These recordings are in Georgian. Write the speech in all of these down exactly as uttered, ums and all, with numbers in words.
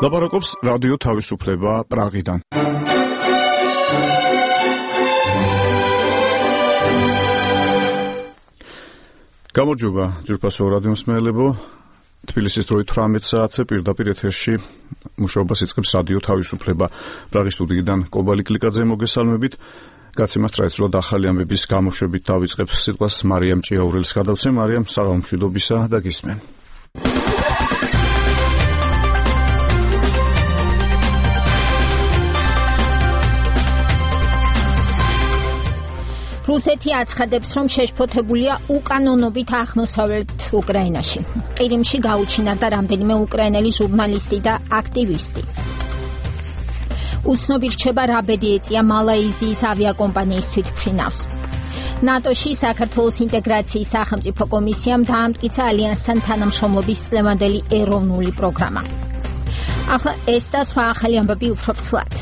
ლაპარაკობს რადიო თავისუფლება პრაღიდან. გამარჯობა, ძვირფასო რადიო მსმენელებო. თბილისის დროით თვრამეტ საათზე პირდაპირ ეთერში მუშაობას იწყებს რადიო თავისუფლება პრაღის სტუდიიდან კობალი კლიკაძე მოგესალმებით. გაცემას ტრადიციულად ახალი ამბების გამოშვებით დავიწყებ სიტყვას მარიამ ჭიაურელს გადავცე. მარიამ, საღამო მშვიდობისა და გისმენ. რუსეთი აცხადებს, რომ შეშფოთებულია უკანონობით აღმოსავლეთ უკრაინაში. ყირიმში გაუჩინარდა რამდენიმე უკრაინელი ჟურნალისტი და აქტივისტი. უცნობი რჩება რა ბედი ეწია მალაიზიის ავიაკომპანიის თვითმფრინავს. ნატოში საქართველოს ინტეგრაციის სახელმწიფო კომისიამ დაამტკიცა ალიანსთან თანამშრომლობის წლევანდელი ეროვნული პროგრამა. ახლა ეს და სხვა ახალი ამბები უფრო ცლად.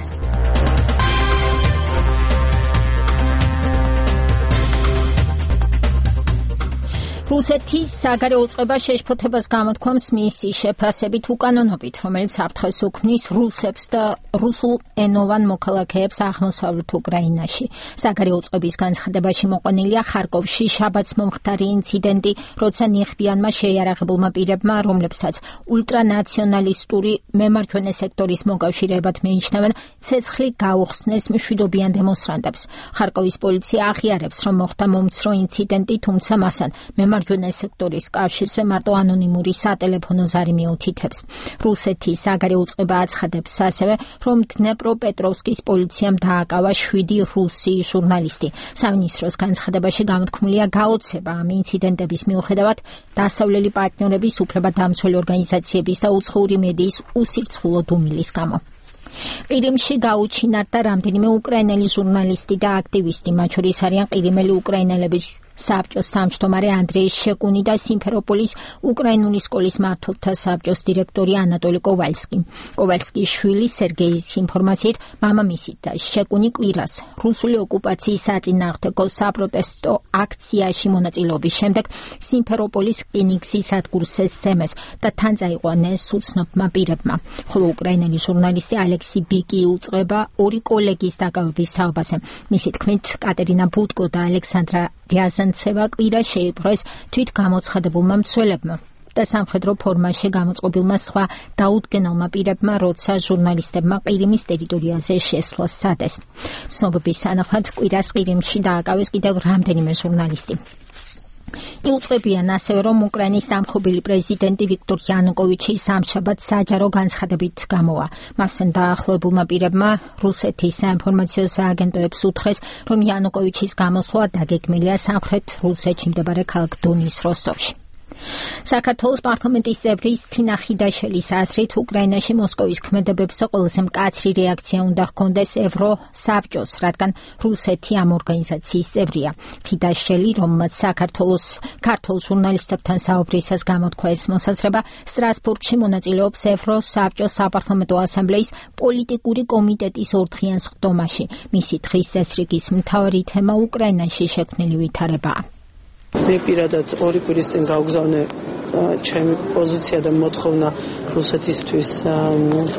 რუსეთის საგარეო წყობა შეშფოთებას გამოთქვამს მისი შეფასებით უკანონობით, რომელიც საფრთხეს უქმნის რუსებს და რუსულ ენოვან მოქალაქეებს აღმოსავლეთ უკრაინაში. საგარეო წყობის განცხადებაში მოყვანილია ხარკოვში შაბათს მომხდარი ინციდენტი, როცა ნიღბიანმა შეიარაღებულმა პირებმა, რომლებსაც ულტრანაციონალისტური მემარჯვენე სექტორის მოკავშირეებად მიიჩნევენ, ცეცხლი გაუხსნეს მშვიდობიან დემონსტრანტებს. ხარკოვის პოლიცია აღიარებს, რომ მოხდა მომცრო ინციდენტი, თუმცა მასთან მემარჯვენე სექტორის კავშირზე მარტო ანონიმური სატელეფონო ზარი მიუთითებს. რუსეთის საგარეო წყობა აცხადებს ასევე, რომ დნეპროპეტროვსკის პოლიციამ დააკავა შვიდი რუსი ჟურნალისტი. სამინისტროს განცხადებაში გამოთქმულია გაოცება ამ ინციდენტების მიუხედავად დასავლელი პარტნიორების უფლებადამცველი ორგანიზაციების და უცხოური მედიის უსირცხულო დუმილის გამო. ყირიმში გაუჩინარდა რამდენიმე უკრაინელი ჟურნალისტი და აქტივისტი, მათ შორის არიან ყირიმელი უკრაინელების საბჭოს თავმჯდომარე ანდრეი შეკუნი და სიმფეროპოლის უკრაინული სკოლის მმართველთა საბჭოს დირექტორი ანატოლი კოვალსკი. კოვალსკის შვილი სერგეის ინფორმაციით, მამამისი და შეკუნი კვირას რუსული ოკუპაციის საწინააღმდეგო საპროტესტო აქციაში მონაწილეობის შემდეგ სიმფეროპოლის რკინიგზის სადგურზე სემეს და თან წაიყვანეს უცნობმა პირებმა. ხოლო უკრაინელი ჟურნალისტი ალექსი ბიკი უწყება ორი კოლეგის დაკავების თაობაზე. მისი თქმით, კატერინა ბუტკო და ალექსანდრა რიაზანცევა კვირა შეიპყრეს თვით გამოცხადებულმა მცველებმა და სამხედრო ფორმაში გამოწყობილმა სხვა დაუდგენელმა პირებმა, როცა ჟურნალისტებმა ყირიმის ტერიტორიაზე შესვლა სცადეს. ცნობების თანახმად კვირას ყირიმში დააკავეს კიდევ რამდენიმე ჟურნალისტი. იუწყებიან ასევე, რომ უკრაინის დამხობილი პრეზიდენტი ვიქტორ იანუკოვიჩი სამშაბათს საჯარო განცხადებით გამოვა. მასთან დაახლოებულმა პირებმა რუსეთის საინფორმაციო სააგენტოებს უთხრეს, რომ იანუკოვიჩის გამოსვლა დაგეგმილია სამხრეთ რუსეთში მდებარე ქალაქ დონის როსტოვში. საქართველოს პარლამენტის წევრი თინა ხიდაშელის აზრით, უკრაინაში მოსკოვის ქმედებებს ყველაზე მკაცრი რეაქცია უნდა ჰქონდეს ევროსაბჭოს, რადგან რუსეთი ამ ორგანიზაციის წევრია. ხიდაშელი, რომელმაც საქართველოს ქართულ ჟურნალისტებთან საუბრისას გამოთქვა ეს მოსაზრება, სტრასბურგში მონაწილეობს ევროსაბჭოს საპარლამენტო ასამბლეის პოლიტიკური კომიტეტის ორდღიან სხდომაში. მისი დღის წესრიგის მთავარი თემა უკრაინაში შექმნილი ვითარებაა. მე პირადად ორი კვირის წინ გავგზავნე ჩემი პოზიცია და მოთხოვნა რუსეთისთვის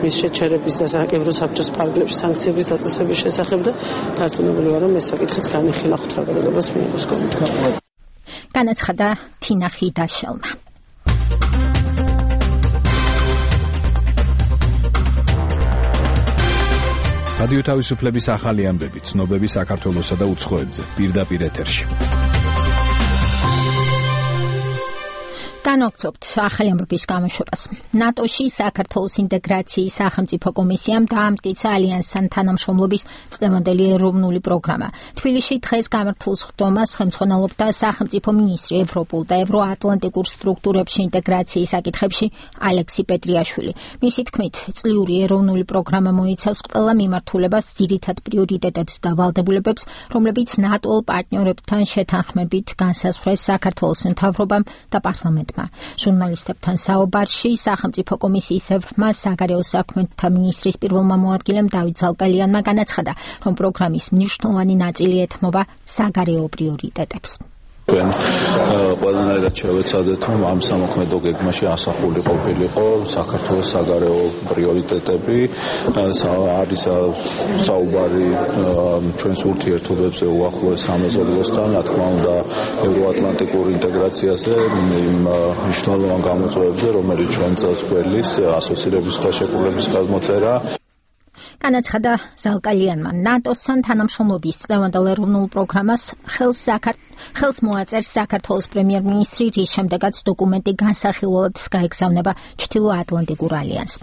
მის შეჩერების და ევროსაბჭოს ფარგლებში სანქციების დაწესების შესახებ და დარწმუნებული ვარ, რომ ეს საკითხიც განიხილა ხუთრაგადელობას მიიღოს კომიტეტში. განაცხადა თინა ხიდაშელმა. რადიო თავისუფლების ახალი ამბები, ცნობები საქართველოსა და უცხოეთზე, პირდაპირ ეთერში. განვაგრძობთ ახალი ამბების გამოშვებას. ნატოში საქართველოს ინტეგრაციის სახელმწიფო კომისიამ დაამტკიცა ალიანსთან თანამშრომლობის წლევანდელი ეროვნული პროგრამა. თბილისში დღეს გამართულ სხდომას ხელმძღვანელობდა სახელმწიფო მინისტრი ევროპულ და ევროატლანტიკურ სტრუქტურებში ინტეგრაციის საკითხებში ალექსი პეტრიაშვილი. მისი თქმით, წლიური ეროვნული პროგრამა მოიცავს ყველა მიმართულებას, ძირითად პრიორიტეტებს და ვალდებულებებს, რომლებიც ნატო პარტნიორებთან შეთანხმებით განსაზღვრეს საქართველოს მთავრობამ და პარლამენტმა. ჟურნალისტებთან საუბარში სახელმწიფო კომისიის წევრმა საგარეო საქმეთა მინისტრის პირველმა მოადგილემ დავით ზალკალიანმა განაცხადა, რომ პროგრამის მნიშვნელოვანი ნაწილი ეთმობა საგარეო პრიორიტეტებს. ჩვენ ყველანაირად შევეცადეთ, რომ ამ სამოქმედო გეგმაში ასახული ყოფილიყო საქართველოს საგარეო პრიორიტეტები, არის საუბარი ჩვენს ურთიერთობებზე უახლოეს სამეზობლოსთან, რა თქმა უნდა, ევროატლანტიკურ ინტეგრაციაზე, იმ მნიშვნელოვან გამოწვევებზე, რომელიც ჩვენ წელს გვერდის ასოცირების ხელშეკრულების გადმოწერა. განაცხადა ზალკალიანმა ნატოსთან თანამშრომლობის წლევანდელ ეროვნულ პროგრამას ხელს ხელს მოაწერს საქართველოს პრემიერ-მინისტრი, რის შემდეგაც დოკუმენტი განსახილველად გაეგზავნება ჩრდილოატლანტიკურ ალიანსს.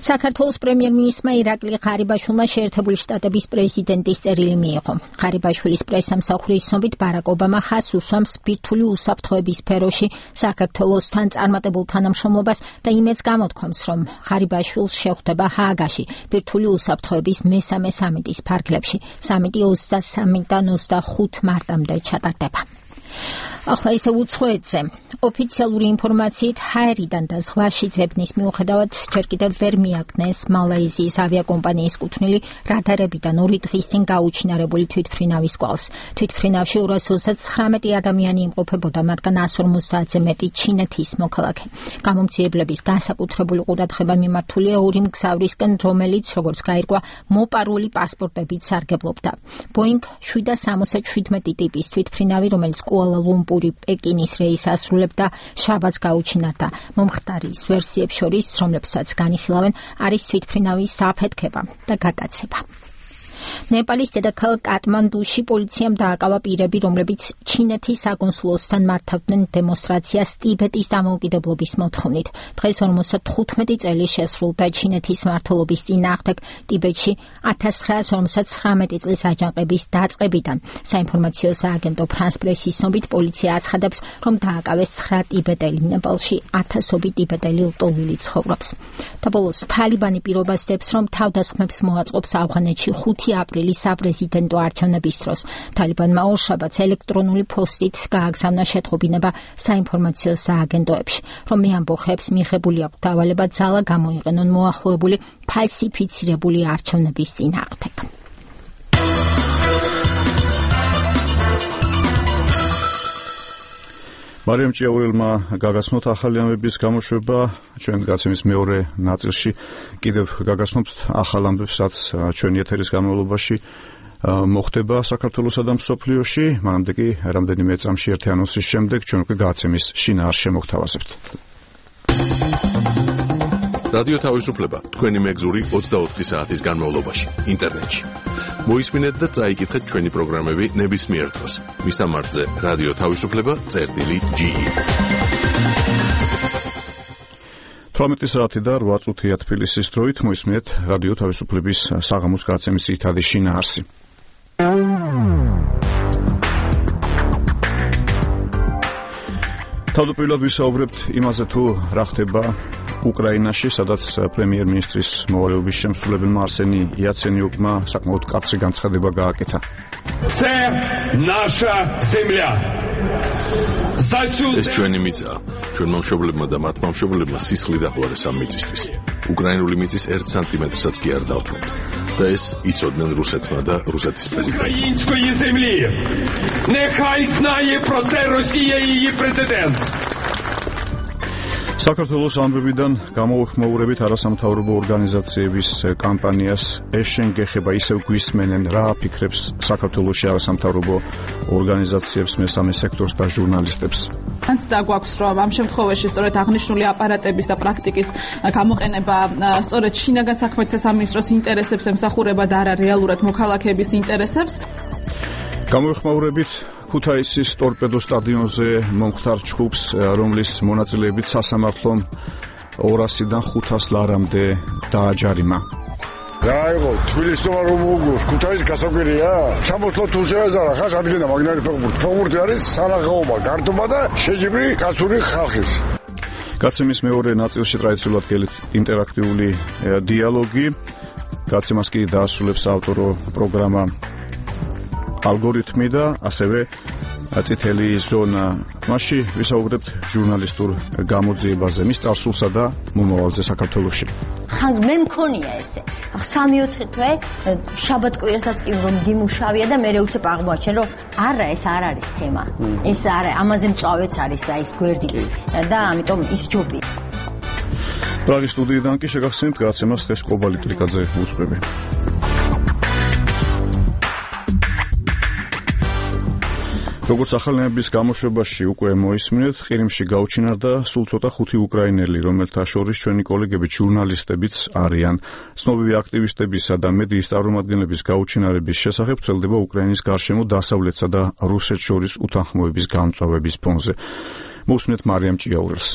საქართველოს პრემიერ-მინისტრმა ირაკლი ღარიბაშვილმა შეერთებული შტატების პრეზიდენტის წერილი მიიღო. ღარიბაშვილის პრესამსახურის ცნობით ბარაკ ობამა ხაზს უსვამს ბირთვული უსაფრთხოების სფეროში საქართველოსთან წარმატებულ თანამშრომლობას და იმედს გამოთქვამს, რომ ღარიბაშვილს შეხვდება ჰააგაში ბირთვული უსაფრთხოების მესამე სამიტის ფარგლებში. სამიტი ოცდასამიდან ოცდახუთ მარტამდე ჩატარდება. ახლა ისე უცხოეთზე. ოფიციალური ინფორმაციით ჰაერიდან და ზღვაში ძებნის მიუხედავად ჯერ კიდევ ვერ მიაგნეს მალაიზიის ავიაკომპანიის კუთვნილი რადარებიდან ორი დღის წინ გაუჩინარებული თვითმფრინავის კვალს. თვითმფრინავში ორას ოცდათხრამეტი ადამიანი იმყოფებოდა, მათგან ას ორმოცდაათზე მეტი ჩინეთის მოქალაქე. გამომძიებლების განსაკუთრებული ყურადღება მიმართულია ორი მგზავრისკენ, რომელიც, როგორც გაირკვა, მოპარული პასპორტებით სარგებლობდა. ბოინგ შვიდას სამოცდაშვიდმეტი ტიპის თვითმფრინავი, რომელიც კუალა-ლუმპური პეკინის რეისს ასრულებდა, შაბათს გაუჩინარდა. მომხდარის ვერსიებს შორის, რომლებსაც განიხილავენ, არის თვითმფრინავის საფეთქება და გადაცემა. ნეპალის დედაქალაქ კატმანდუში პოლიციამ დააკავა პირები, რომლებიც ჩინეთის საკონსულოსთან მართავდნენ დემონსტრაციას ტიბეტის დამოუკიდებლობის მოთხოვნით. დღეს ორმოცდათხუთმეტი წელი შესრულდა ჩინეთის მმართველობის წინააღმდეგ ტიბეტში ათას ცხრაას ორმოცდათხრამეტი წლის აჯანყების დაწყებიდან. საინფორმაციო სააგენტო ფრანს პრესის ცნობით, პოლიცია აცხადებს, რომ დააკავეს ცხრა ტიბეტელი. ნეპალში ათასობით ტიბეტელი ლტოლვილი ცხოვრობს. და ბოლოს თალიბანი პირობას დებს, რომ თავდასხმებს მოაწყობს ავღანეთში ხუთი აპრილის საპრეზიდენტო არჩევნების დროს. თალიბანმა ორშაბათს ელექტრონული პოსტით გააგზავნა შეტყობინება საინფორმაციო სააგენტოებში, რომ მე ამბოხებს მიღებული აქვს დავალება ძალა გამოიყენონ მოახლოებული ფალსიფიცირებული არჩევნების წინააღმდეგ. მარიამ ჭიაურელმა გაგაცნოთ ახალი ამბების გამოშვება. ჩვენ გაცემის მეორე ნაწილში კიდევ გაგაცნობთ ახალ ამბებს, რაც ჩვენი ეთერის განმავლობაში მოხდება საქართველოსა და მსოფლიოში. მანამდე კი რამდენიმე წამში ერთი ანონსის შემდეგ ჩვენ უკვე გაცემის შინაარსს შემოგთავაზებთ. რადიო თავისუფლება თქვენი მეგზური ოცდაოთხი საათის განმავლობაში ინტერნეტში. მოისმინეთ და წაიკითხეთ ჩვენი პროგრამები ნებისმიერ დროს. მისამართზე რადიო თავისუფლება წერტილი ჯი. თვრამეტი საათი და რვა წუთია თბილისის დროით მოისმინეთ რადიო თავისუფლების საღამოს გაცემის ძირითადი შინაარსი. თავდაპირველად ვისაუბრებთ იმაზე, თუ რა ხდება უკრაინაში, სადაც პრემიერ-მინისტრის მოვალეობის შემსრულებელმა არსენი იაცენიუკმა საკმაოდ კაცრი განცხადება გააკეთა. Це наша земля. ეს ჩვენი მიწაა. ჩვენმა მშობლებმა და მათმა მშობლებმა სისხლი დაღვარეს ამ მიწისთვის. უკრაინული მიწის ერთ სანტიმეტრსაც კი არ დავთვალთ. და ეს იცოდნენ რუსეთმა და რუსეთის პრეზიდენტმა. Української землі. Нехай знає про це Росія і її президент. საქართველოს ამბებიდან გამოუხმოურებით არასამთავრობო ორგანიზაციების კამპანიას ეშენ გეხება ისევ გვისმენენ, რა აფიქრებს საქართველოში არასამთავრობო ორგანიზაციებს, მესამე სექტორს და ჟურნალისტებს. Ანც დაგვაქვს, რომ ამ შემთხვევაში სწორედ აღნიშნული აპარატების და პრაქტიკის გამოყენება სწორედ შინაგან საქმეთა სამინისტროს ინტერესებს ემსახურება და არა რეალურად მოქალაქეების ინტერესებს. გამოუხმოურებით ქუთაისის ტორპედო სტადიონზე მომხდარ ჩხუბს, რომლის მონაწილეებით სასამართლომ ორასიდან ხუთას ლარამდე დააჯარიმა. რა იყო თბილისში რომ მოგოს ქუთაისის გასაკვირია? სამოსლო თუ შეეზარა ხას ადგენა მაგნარი ფეხბურთი. ფეხბურთი არის სანახაობა, გართობა და შეჯიბრი კაცური ხალხის. გაცემის მეორე ნაწილში ტრადიციულად გელით ინტერაქტიული დიალოგი. გაცემას კი დაასრულებს ავტორო პროგრამა ალგორითმი და ასევე წითელი ზონა. მასში ვისაუბრებთ ჟურნალისტურ გამოძიებაზე, მის წარსულსა და მომავალზე საქართველოში. ხან მე მქონია ესე. სამი ოთხი თვე შაბათ-კვირასაც კი რომ გიმუშავია და მე უცებ აღმოაჩენ რომ არა ეს არ არის თემა. ეს არა, ამაზე მწვავეც არის აი ეს გვერდი და ამიტომ ის ჯობია. პრაღის სტუდიიდან კი შეგახსენებთ გადაცემას დღეს კობალი კლიკაძე უძღვები. როგორც ახალნების გამოშვებაში უკვე მოისმინეთ, ყირიმში გაუჩინარდა სულ ცოტა ხუთი უკრაინელი, რომელთა შორის ჩვენი კოლეგები ჟურნალისტებიც არიან. ცნობილი აქტივისტებისა და მედიის წარმომადგენლების გაუჩინარების შესახებ ვრცელდება უკრაინის გარშემო დასავლეთსა და რუსეთს შორის უთანხმოების გამწვავების ფონზე. მოусმინეთ მარიამ ჭიაურელს.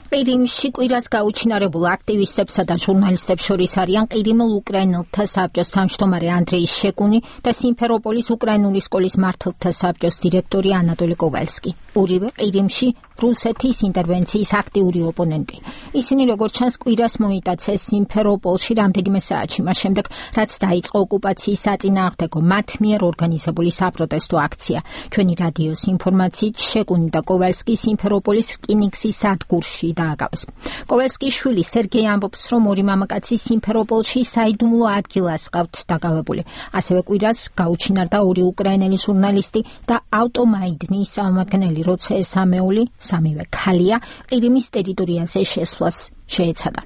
ყირიმში კვირას გაუჩინარებულ აქტივისტებსა და ჟურნალისტებს შორის არიან ყირიმელ უკრაინელთა საბჭოს თავმჯდომარე ანდრეი შეკუნი და სიმფეროპოლის უკრაინული სკოლის მმართველთა საბჭოს დირექტორი ანატოლი კოვალსკი. ორივე ყირიმში რუსეთის ინტერვენციის აქტიური ოპონენტი. ისინი როგორც ჩანს კვირას მოიტაცეს სიმფეროპოლში რამდენიმე საათში, მას შემდეგ რაც დაიწყო ოკუპაციის საწინააღმდეგო მათ მიერ ორგანიზებული საპროტესტო აქცია. ჩვენი რადიოს ინფორმაციით შეკუნი და კოვალსკი სიმფეროპოლის რკინიგზის სადგურში დააგავს. კოვალსკის შვილი სერგეი ამბობს, რომ ორი მამაკაცი სიმფეროპოლში საიდუმლო ადგილას ყავთ დაკავებული. ასევე კვირას გაუჩინარდა ორი უკრაინელი ჟურნალისტი და ავტომაიდნის წარმომადგენელი, როცა ეს სამეული სამივე ქალია ყირიმის ტერიტორიაზე შესვლას შეეცადა.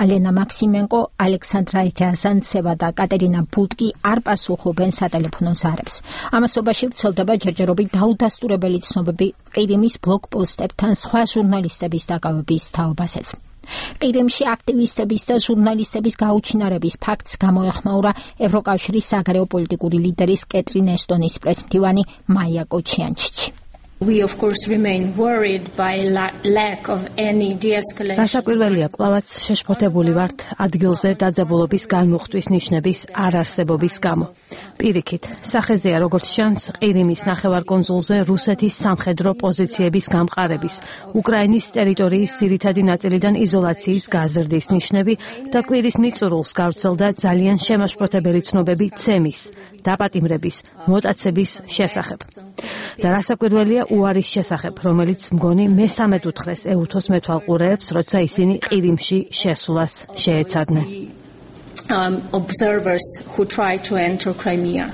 ალენა მაქსიმენკო, ალექსანდრა ჯაზანცევა და კატერინა ბუტკი არ პასუხობენ სატელეფონო ზარებს. ამასობაში ვრცელდება ჯერჯერობით დაუდასტურებელი ცნობები ყირიმის ბლოკპოსტებთან სხვა ჟურნალისტების დაკავების თაობაზეც. ყირიმში აქტივისტების და ჟურნალისტების გაუჩინარების ფაქტს გამოეხმაურა ევროკავშირის საგარეო პოლიტიკური ლიდერის კეტრინ ესტონის პრესმდივანი მაია კოჩიანჩიჩი. We of course remain worried by la lack of any de-escalation. Გასაკვირველია, კვლავაც შეშფოთებული ვართ ადგილზე დაძაბულობის განმუხტვის ნიშნების არარსებობის გამო. პირიქით, სახეზეა როგორც ჩანს, ყირიმის ნახევარკუნძულზე რუსეთის სამხედრო პოზიციების გამყარების, უკრაინის ტერიტორიის ძირითადი ნაწილიდან იზოლაციის გაზრდის ნიშნები და კვირის მიწურულს გავრცელდა ძალიან შემაშფოთებელი ცნობები ცემის, დაპატიმრების, მოტაცების შესახებ. და რასაკვირველია უარის შესახებ, რომელიც მგონი მესამედ უთხრეს ეუთოს მეთვალყურეებს, როცა ისინი ყირიმში შესვლას შეეცადნენ. Um, observers who try to enter Crimea.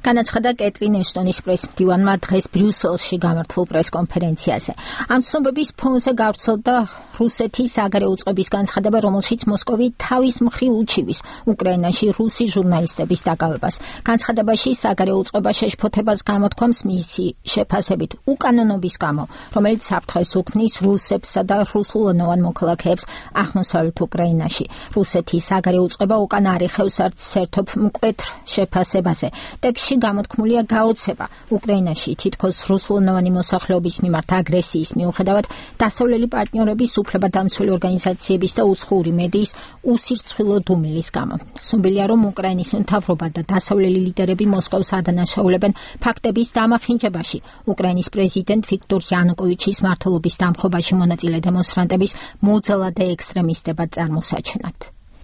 განაცხადა კეტრინ ესტონის პრესმდივანმა დღეს ბრიუსელში გამართულ პრესკონფერენციაზე. ამ ცნობების ფონზე გავრცელდა რუსეთის საგარეო უწყების განცხადება, რომელშიც მოსკოვი თავის მხრივ უჩივის უკრაინაში რუსი ჟურნალისტების დაკავებას. განცხადებაში საგარეო უწყება შეშფოთებას გამოთქვამს მისი შეფასებით უკანონობის გამო, რომელიც საფრთხეს უქმნის რუსებსა და რუსულენოვან მოქალაქეებს აღმოსავლეთ უკრაინაში. რუსეთის საგარეო უწყება უკან არ იხევს არც საერთოდ მკვეთრ შეფასებაზე. ტექსტში გამოთქმულია გაოცება უკრაინაში თითქოს რუსულენოვანი მოსახლეობის მიმართ აგრესიის მიუხედავად დასავლელი პარტნიორების უფლებადამცველი ორგანიზაციების და უცხოური მედიის უსირცხვილო დუმილის გამო. ცნობილია, რომ უკრაინის მთავრობა და დასავლელი ლიდერები მოსკოვს ადანაშაულებენ ფაქტების დამახინჯებაში. უკრაინის პრეზიდენტ ვიქტორ იანუკოვიჩის მმართველობის დამხობაში მონაწილე დემონსტრანტების მოძალადე და ექსტრემისტებად წარმოსაჩენად.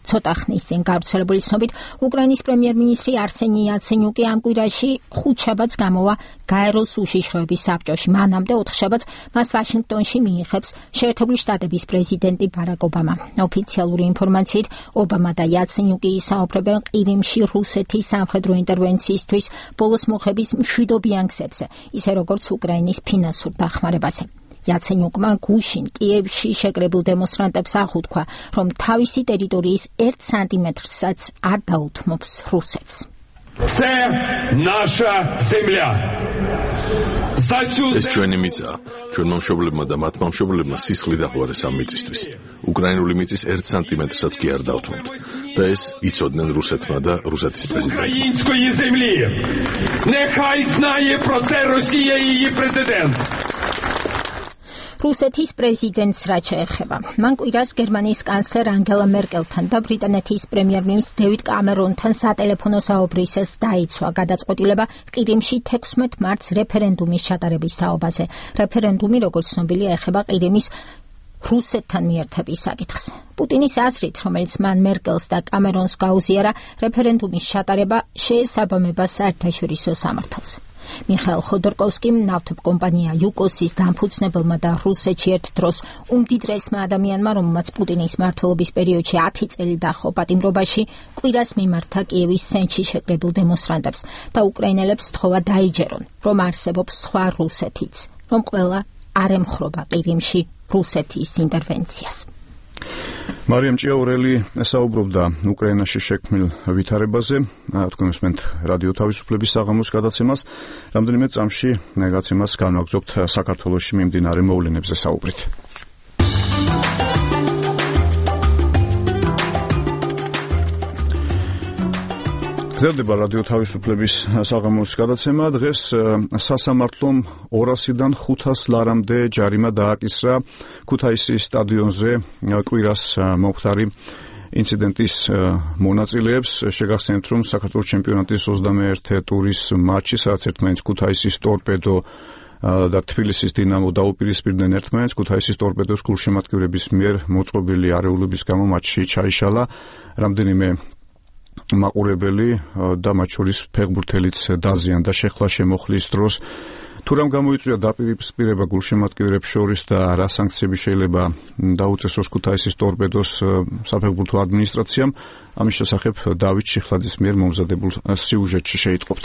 ცოტა ხნის წინ გავრცელებული ცნობით, უკრაინის პრემიერ-მინისტრი არსენი იაცენიუკი ამ კვირაში ხუთშაბათს გამოვა გაეროს უშიშროების საბჭოში. მანამდე ოთხშაბათს მას ვაშინგტონში მიიღებს შეერთებული შტატების პრეზიდენტი ბარაკ ობამა. ოფიციალური ინფორმაციით, ობამა და იაცენიუკი ისაუბრებენ ყირიმში რუსეთის სამხედრო ინტერვენციისთვის ბოლოს მოხების მშვიდობიან გზებზე, ისე როგორც უკრაინის ფინანსურ დახმარებაზე. იაცენიუკმა გუშინ კიევში შეკრებილ დემონსტრანტებს აღუთქვა, რომ თავისი ტერიტორიის ერთ სანტიმეტრსაც არ დაუთმობს რუსეთს. Це наша земля. ეს ჩვენი მიწაა. ჩვენმა მშობლებმა და მათმა მშობლებმა სისხლი დაღვარეს ამ მიწისთვის. უკრაინული მიწის ერთ სანტიმეტრსაც კი არ დავთმობთ. და ეს იცოდნენ რუსეთმა და რუსეთის პრეზიდენტმა. Української землі. Нехай знає про це Росія і її президент. რუსეთის პრეზიდენტს რაც შეეხება. მან კვირას გერმანიის კანცლერ ანგელა მერკელთან და ბრიტანეთის პრემიერ-მინისტრ დევიდ კამერონთან სატელეფონო საუბრისას დაიცვა გადაწყვეტილება ყირიმში თექვსმეტ მარტს რეფერენდუმის ჩატარების თაობაზე. რეფერენდუმი, როგორც ცნობილია, ეხება ყირიმის რუსეთთან მიერთების საკითხს. პუტინის აზრით, რომელიც მან მერკელს და კამერონს გაუზიარა, რეფერენდუმის ჩატარება შეესაბამება საერთაშორისო სამართალს. მიხაილ ხოდორკოვსკიმ ნავთობკომპანია იუკოსის დამფუძნებელმა და რუსეთში ერთ დროს უმდიდრესმა ადამიანმა, რომელმაც პუტინის მმართველობის პერიოდში ათი წელი დაჰყო პატიმრობაში, კვირას მიმართა კიევის ცენტრში შეკრებილ დემონსტრანტებს და უკრაინელებს სთხოვა დაიჯერონ, რომ არსებობს სხვა რუსეთიც, რომ ყველა არ ემხრობა ყირიმში რუსეთის ინტერვენციას. მარიამ ჭიაურელი საუბრობდა უკრაინაში შექმნილ ვითარებაზე, თქვენ უსმენთ რადიო თავისუფლების საღამოს გადაცემას, რამდენიმე წამში გადაცემას განვაგრძობთ საქართველოში მიმდინარე მოვლენებზე საუბრით. გრძელდება რადიო თავისუფლების საღამოს გადაცემა. დღეს სასამართლომ ორასიდან ხუთას ლარამდე ჯარიმა დააკისრა ქუთაისის სტადიონზე კვირას მომხდარი ინციდენტის მონაწილეებს. შეგახსენებთ, რომ საქართველოს ჩემპიონატის ოცდამეერთე ტურის მატჩი, სადაც ერთმანეთს ქუთაისის ტორპედო და თბილისის დინამო დაუპირისპირდნენ ერთმანეთს, ქუთაისის ტორპედოს გულშემატკივრების მიერ მოწყობილი არეულობის გამო მატჩი ჩაიშალა. რამდენიმე მაყურებელი და მათ შორის ფეხბურთელიც დაზიანდა შეხლა შემოხლის დროს. თუ რამ გამოიწვია დაპირისპირება გულშემატკივრებს შორის და რა სანქციები შეიძლება დაუწესოს ქუთაისის ტორპედოს საფეხბურთო ადმინისტრაციამ, ამის შესახებ დავით შიხლაძის მიერ მომზადებულ სიუჟეტში შეიტყობთ.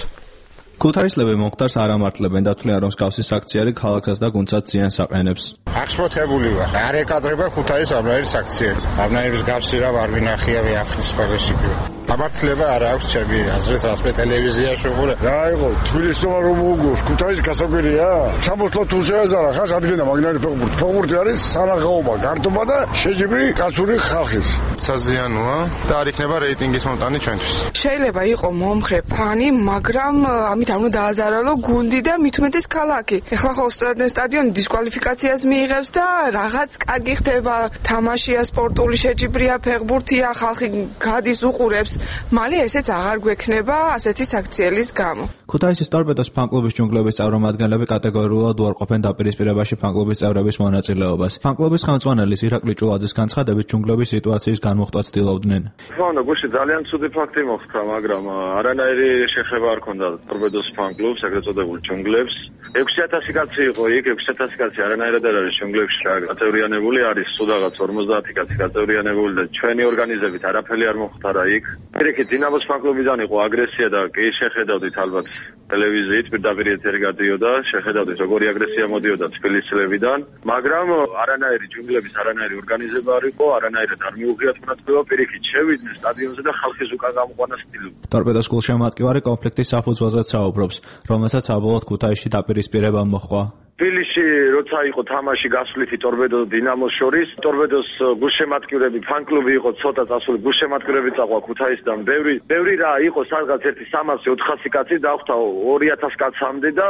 ქუთაისლები მომხდარს არ ამართლებენ და თვლიან, რომ მსგავსი საქციელი ქალაქსაც და გუნდსაც ზიანს აყენებს. აღშფოთებული ვარ. არ ეკადრება ქუთაის ამნაირი საქციელი. ამნაირის გარსი რა ვარ ვინახია ვიახლის სპეციფიკა. ამართლება არ აქვს ჩემი აზრით, რაც მე ტელევიზიაში ვუყურე. რა იყო, თბილისმა რომ მოუგოს, ქუთაისი გასაკვირია? სამოსლო თუ შეეზარა, ხას ადგენდა მაგნარი ფეხბურთი. ფეხბურთი არის სანახაობა, გართობა და შეჯიბრი კაცური ხალხის. საზიანოა და არ იქნება რეიტინგის მომტანი ჩვენთვის. შეიძლება იყოს მომხრე ფანი, მაგრამ ამით არ უნდა დააზარალო გუნდი და მით უმეტეს ქალაქი. ეხლა ხო სტადიონი დისკვალიფიკაციას მიიღებს და რაღაც კარგი ხდება, თამაშია, სპორტული შეჯიბრია, ფეხბურთია, ხალხი გადის უყურებს. მალე ესეც აღარ გვექნება ასეთი საქციელის გამო. ქუთაისის ტორპედოს ფანკლუბის ჯუნგლების წარმომადგენლები კატეგორიულად უარყოფენ დაპირისპირებაში ფანკლუბის წევრების მონაწილეობას. ფანკლუბის ხელმძღვანელის ირაკლი ჭულაძის განცხადებით, ჯუნგლების სიტუაციის განმუხტვას ცდილობდნენ. ფანო გუში ძალიან ცუდი ფაქტი მოხდა, მაგრამ არანაირი შეხება არ ქონდა ტორპედოს ფანკლუბს, ეგრეთ წოდებულ ჯუნგლებს. ექვსი ათასი კაცი იყო იქ, ექვსი ათასი კაცი არანაირად არ არის ჯუნგლებში გაწევრიანებული, არის სულაღაც ორმოცდაათი კაცი გაწევრიანებული და ჩვენი ორგანიზებით არაფერი არ მოხდარა იქ. პირიქით დინამოს ფანკლუბიდან იყო აგრესია და კი შეხედავდით ალბათ ტელევიზიით პირდაპირ ეთერი გადიოდა, შეხედავდით როგორი აგრესია მოდიოდა თბილისელებიდან, მაგრამ არანაირი ჯუნგლების არანაირი ორგანიზება არ იყო, არანაირად არ მიუღიათ მონაწილეობა, პირიქით შევიდნენ სტადიონზე და ხალხის უკან გამოყვანა სტილობ. ტორპედოს გულშემატკივარი კონფლიქტის საფუძველზეც საუბრობს, რომელსაც საბოლოოდ ქუთაისში დაპირისპირება მოჰყვა. თბილისში როცა იყო თამაში გასვლითი ტორპედო დინამოს შორის, ტორპედოს გულშემატკივრები ფანკლუბი იყო ცოტა წასული, გულშემატკივრები წაყვა ქუთაისიდან, ბევრი ბევრი რა იყო, სადღაც ერთი სამასი ოთხასი კაცი დახვდა ორი ათასი კაცამდე და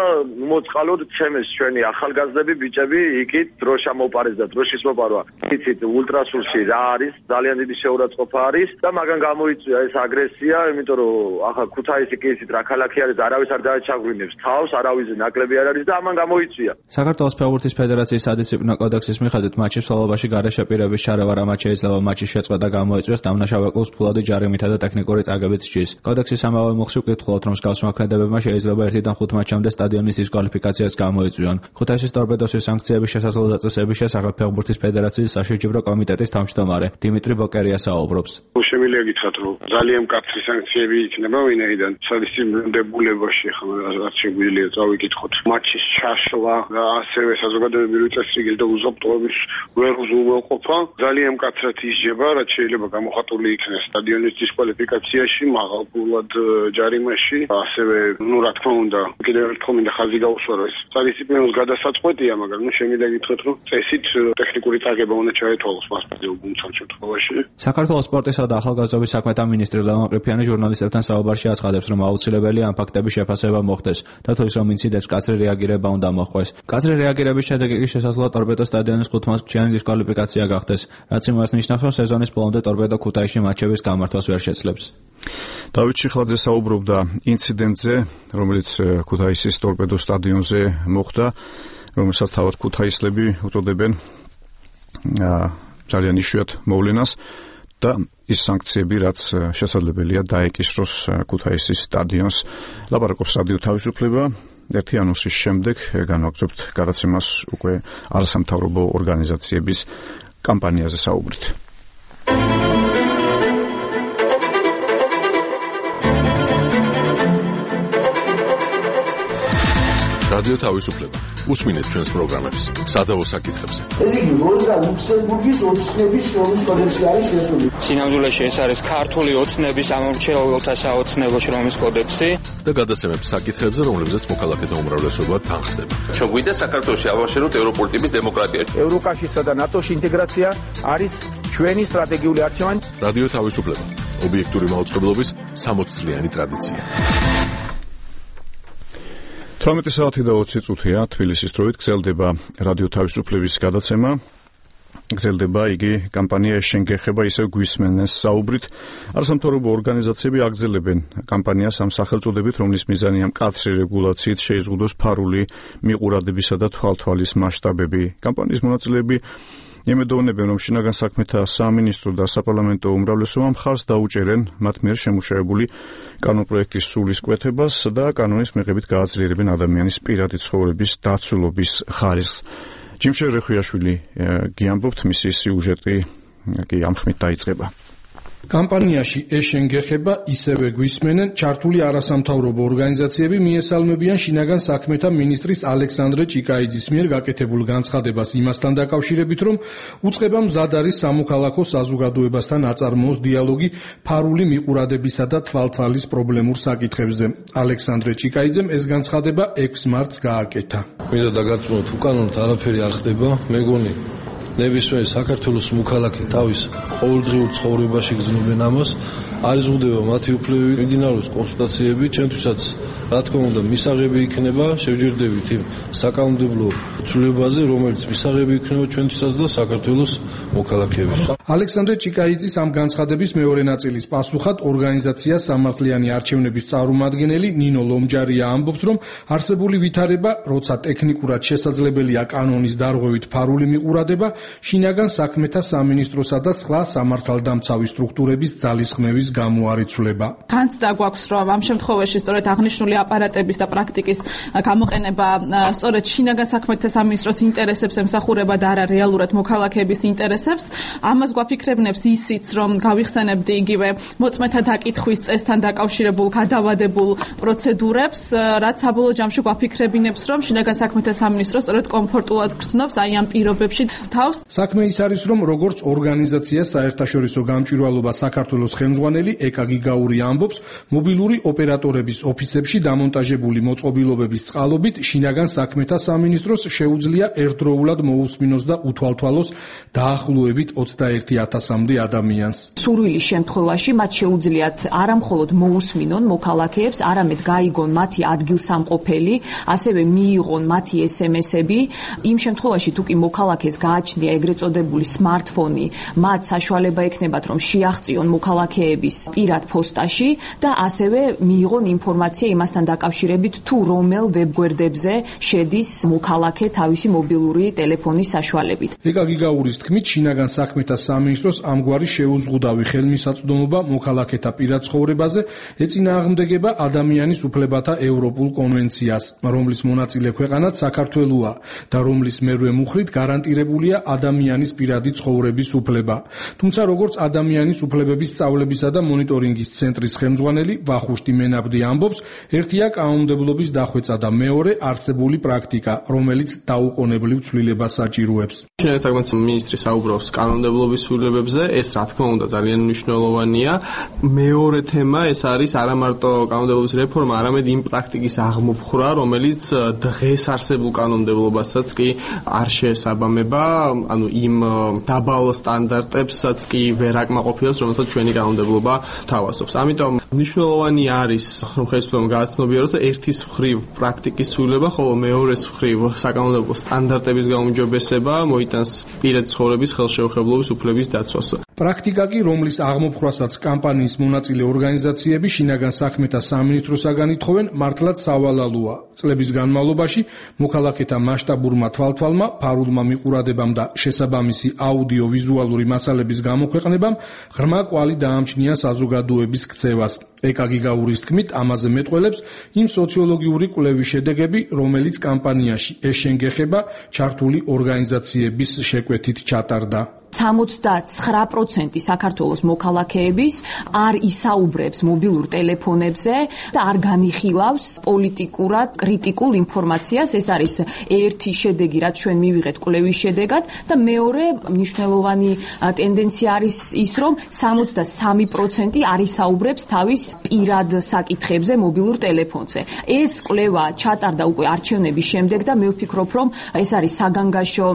მოწყალოდ ცემეს ჩვენი ახალგაზრდები, ბიჭები, იქით დროშა მოპარეს და დროშის მოპარვა. იცით ულტრასულში რა არის, ძალიან დიდი შეურაცხყოფა არის და მაგან გამოიწვია ეს აგრესია, იმიტომ რომ ახლა ქუთაისი კი იცით რა ქალაქი არის, არავის არ დააჩაგვინებს თავს, არავის ნაკლები არ არის და ამან გამოიწვია. საქართველოს ფეხბურთის ფედერაციის სადისციპლინო კოდექსის მიხედვით მატჩის მსვლელობაში გარეშე პირების ჩარევა რამაც შეიძლება მატჩის შეწყვეტა გამოიწვიოს დამნაშავე კლუბს ფულადი ჯარიმითა და ტექნიკური წაგებით სჯის. კოდექსის ამავე მუხლში ვკითხულობთ, რომ მსგავს მოქმედებებმა შეიძლება ერთიდან ხუთ მატჩამდე სტადიონის დისკვალიფიკაციას გამოიწვიონ. ქუთაისის ტორპედოსის სანქციების შესაძლო დაწესების შესახებ ფეხბურთის ფედერაციის საშეჯიბრო კომიტეტის თავმჯდომარე დიმიტრი ბოკერია საუბრობს. შემიძლია გითხრათ, რომ ძალიან მკაცრი სანქციები იქნება ვინაიდან სადისციპლინოებულებაში ხომ რაც შეგვიძლია წავიკითხოთ მატჩის ჩაშლა და ასევე საზოგადოებრივი წესრიგი და უზრუნველყოფის ვერ უზრუნველყოფა ძალიან მკაცრად ისჯება, რაც შეიძლება გამოხატული იქნეს სტადიონის დისკვალიფიკაციაში, მაღალფულად ჯარიმაში, ასევე ნუ რა თქმა უნდა, კიდევ ერთხელ მინდა ხაზი გაუსვა, რომ ეს სადისციპლინოს გადასაწყვეტია, მაგრამ ნუ შემიძლია გითხრათ, რომ წესით ტექნიკური წაგება უნდა ჩაეთვალოს მასპინძელ გუნდთან შემთხვევაში. საქართველოს სპორტისა და ახალგაზრდობის საქმეთა მინისტრი ლევან ყიფიანი ჟურნალისტებთან საუბარში აცხადებს, რომ აუცილებელია ამ ფაქტების შეფასება მოხდეს და თვლის რომ ინციდენტს მკაცრი რეაგირება უნდა მოხდეს. მკაცრი რეაგირების შედეგი კი შესაძლოა ტორპედოს სტადიონის ხუთმატჩიანი დისკვალიფიკაცია გახდეს, რაც იმას ნიშნავს, რომ სეზონის ბოლომდე ტორპედო ქუთაისში მატჩების გამართვას ვერ შეძლებს. დავით შიხლაძე საუბრობდა ინციდენტზე, რომელიც ქუთაისის ტორპედოს სტადიონზე მოხდა, რომელსაც თავად ქუთაისლები უწოდებენ ძალიან იშვიათ მოვლენას და ის სანქციები, რაც შესაძლებელია დაეკისროს ქუთაისის სტადიონს. ლაპარაკობს რადიო თავისუფლება. ერთი ანონსის შემდეგ განვაგრძობთ გადაცემას უკვე არასამთავრობო ორგანიზაციების კამპანიაზე საუბრით. რადიო თავისუფლება. უსმინეთ ჩვენს პროგრამებს სადავო საკითხებზე. ეს იგი როზა ლუქსემბურგის ოცნების შრომის კოდექსი არის შესული. სინამდვილეში ეს არის ქართული ოცნების ამორჩეულთა საოცნებო შრომის კოდექსი და გადაცემებს საკითხებზე, რომლებზეც მოქალაქეთა უმრავლესობა თანხდება. ჩვენ გვინდა საქართველოში ავაშენოთ ევროპული ტიპის დემოკრატია. ევროკავშირსა და ნატოში ინტეგრაცია არის ჩვენი სტრატეგიული არჩევანი. რადიო თავისუფლება. ობიექტური მაუწყებლობის სამოც წლიანი ტრადიცია. თვრამეტი საათი და ოცი წუთია თბილისის დროით გრძელდება რადიო თავისუფლების გადაცემა. გრძელდება იგი კამპანია შენგეხება ისევ გვისმენეს საუბრით. არასამთავრობო ორგანიზაციები აგრძელებენ კამპანიას ამ სახელწოდებით, რომლის მიზანია მკაცრი რეგულაციით შეიზღუდოს ფარული მიყურადებისა და თვალთვალის მასშტაბები. კამპანიის მონაწილეები იმედოვნებენ, რომ შინაგან საქმეთა სამინისტრო და საპარლამენტო უმრავლესობა მხარს დაუჭერენ მათ მიერ შემუშავებული კანონპროექტის სულისკვეთებას და კანონის მიღებით გააძლიერებენ ადამიანის პირადი ცხოვრების დაცულობის ხარისხს. ჯიმშე რეხვიაშვილი გიამბობთ, მისი სიუჟეტი კი ამ ხმით დაიწყება. კამპანიაში ეშენგეხება ისევე გვისმენენ ჩართული არასამთავრობო ორგანიზაციები მიესალმებიან შინაგან საქმეთა მინისტრის ალექსანდრე ჭიკაიძის მიერ გაკეთებულ განცხადებას იმასთან დაკავშირებით, რომ უწყება მზად არის სამოქალაქო საზოგადოებასთან აწარმოოს დიალოგი ფარული მიყურადებისა და თვალთვალის პრობლემურ საკითხებზე. ალექსანდრე ჭიკაიძემ ეს განცხადება ექვსი მარტს გააკეთა. მინდა დაგარწმუნოთ, უკანონოდ არაფერი არ ხდება, მეგონი ნებისმიერ საქართველოს მოქალაქე თავის ყოველდღიურ ცხოვრებაში გრძნობენ ამას, არის ზღუდება მათი უფლებები, მიმდინარეობს კონსულტაციები, ჩვენთვისაც რა თქმა უნდა მისაღები იქნება, შევჯერდებით იმ საკანონმდებლო ცვლილებაზე, რომელიც მისაღები იქნება ჩვენთვისაც და საქართველოს მოქალაქეების. ალექსანდრე ჭიკაიძის ამ განცხადების მეორე ნაწილის პასუხად ორგანიზაცია სამართლიანი არჩევნების წარმომადგენელი ნინო ლომჯარია ამბობს, რომ არსებული ვითარება, როცა ტექნიკურად შესაძლებელია კანონის დარღვევით ფარული მიყურადება, შინაგან საქმეთა სამინისტროსა და სხვა სამართალდამცავი სტრუქტურების ძალისხმევის გამოარიცვლება. განცდა გვაქვს, რომ ამ შემთხვევაში სწორედ აღნიშნული აპარატების და პრაქტიკის გამოყენება სწორედ შინაგან საქმეთა სამინისტროს ინტერესებს ემსახურება და არა რეალურად მოქალაქეების ინტერესებს. ამას გვაფიქრებნებს ისიც, რომ გავიხსენებდი იგივე მოწმეთა დაკითხვის წესთან დაკავშირებულ გადავადებულ პროცედურებს, რაც საბოლოო ჯამში გვაფიქრებინებს, რომ შინაგან საქმეთა სამინისტრო სწორედ კომფორტულად გრძნობს აი ამ პირობებში თავს. საქმე ის არის, რომ როგორც ორგანიზაცია საერთაშორისო გამჭვირვალობა საქართველოს ხელმძღვანელი ეკა გიგაური ამბობს, მობილური ოპერატორების ოფისებში დამონტაჟებული მოწყობილობების წყალობით შინაგან საქმეთა სამინისტროს შეუძლია ერთდროულად მოусმინოს და უთვალთვალოს დაახლოებით ოცდაერთი ათასამდე ადამიანს. სურვილის შემთხვევაში მათ შეუძლიათ არა მხოლოდ მოусმინონ მოქალაქეებს, არამედ გაიგონ მათი ადგილსამყოფელი, ასევე მიიღონ მათი ესემესები. იმ შემთხვევაში თუ კი მოქალაქეს გააჩნია ეგრეთ წოდებული smartphone, მათ საშუალება ექნებათ, რომ შეაღწიონ მოქალაქეების პირად პოსტაში და ასევე მიიღონ ინფორმაცია იმასთან დაკავშირებით, თუ რომელ ვებგვერდებზე შედის მოქალაქე თავისი მობილური ტელეფონის საშუალებით. ეკა გიგაურის თქმით, შინაგან საქმეთა სამინისტროს ამგვარი შეუზღუდავი ხელმისაწვდომობა მოქალაქეთა პირად ცხოვრებაზე ეწინააღმდეგება ადამიანის უფლებათა ევროპულ კონვენციას, რომლის მონაწილე ქვეყანაც საქართველოა და რომლის მერვე მუხლით გარანტირებულია ადამიანის პირადი ცხოვრების უფლება. თუმცა როგორც ადამიანის უფლებების სწავლებისა და მონიტორინგის ცენტრის ხელმძღვანელი ვახუშტი მენაბდი ამბობს, ერთია კანონმდებლობის დახვეწა და მეორე არსებული პრაქტიკა, რომელიც დაუყოვნებლივ ცვლილებას საჭიროებს. შინაგან საქმეთა მინისტრი საუბრობს კანონმდებლობის ცვლილებებზე, ეს რა თქმა უნდა ძალიან მნიშვნელოვანია. მეორე თემა ეს არის არა მარტო კანონმდებლობის რეფორმა, არამედ იმ პრაქტიკის აღმოფხვრა, რომელიც დღეს არსებულ კანონმდებლობასაც კი არ შეესაბამება, ანუ იმ დაბალ სტანდარტებსაც კი ვერ აკმაყოფილებს, რომელსაც ჩვენი კანონმდებლობა თავაზობს. ამიტომ მნიშვნელოვანი არის, რომ ხელისუფლებამ გააცნობიეროს და ერთის მხრივ პრაქტიკის ცვლილება, ხოლო მეორეს მხრივ საკანონმდებლო სტანდარტების გაუმჯობესება მოიტანს პირადი ცხოვრების ხელშეუხებლობის უფლების დაცვას. პრაქტიკა კი, რომლის აღმოფხვრასაც კამპანიის მონაწილე ორგანიზაციები შინაგან საქმეთა სამინისტროსაგან ითხოვენ, მართლაც სავალალოა. წლების განმავლობაში მოქალაქეთა მასშტაბურმა თვალთვალმა, ფარულმა მიყურადებამ და შესაბამისი აუდიო-ვიზუალური მასალების გამოქვეყნებამ ღრმა კვალი დაამჩნია საზოგადოების ქცევას. ეკა გიგაურის თქმით, ამაზე მეტყველებს იმ სოციოლოგიური კვლევის შედეგები, რომელიც კამპანიაში ეშენგეხება ჩართული ორგანიზაციების შეკვეთით ჩატარდა. სამოცდაცხრა პროცენტი საქართველოს მოქალაქეების არ ისაუბრებს მობილურ ტელეფონებზე და არ განიხილავს პოლიტიკურად კრიტიკულ ინფორმაციას. ეს არის ერთი შედეგი, რაც ჩვენ მივიღეთ კვლევის შედეგად და მეორე მნიშვნელოვანი ტენდენცია არის ის, რომ სამოცდასამი პროცენტი არ ისაუბრებს თავის პირად საკითხებზე მობილურ ტელეფონზე. ეს კვლევა ჩატარდა უკვე არჩევნების შემდეგ და მე ვფიქრობ, რომ ეს არის საგანგაშო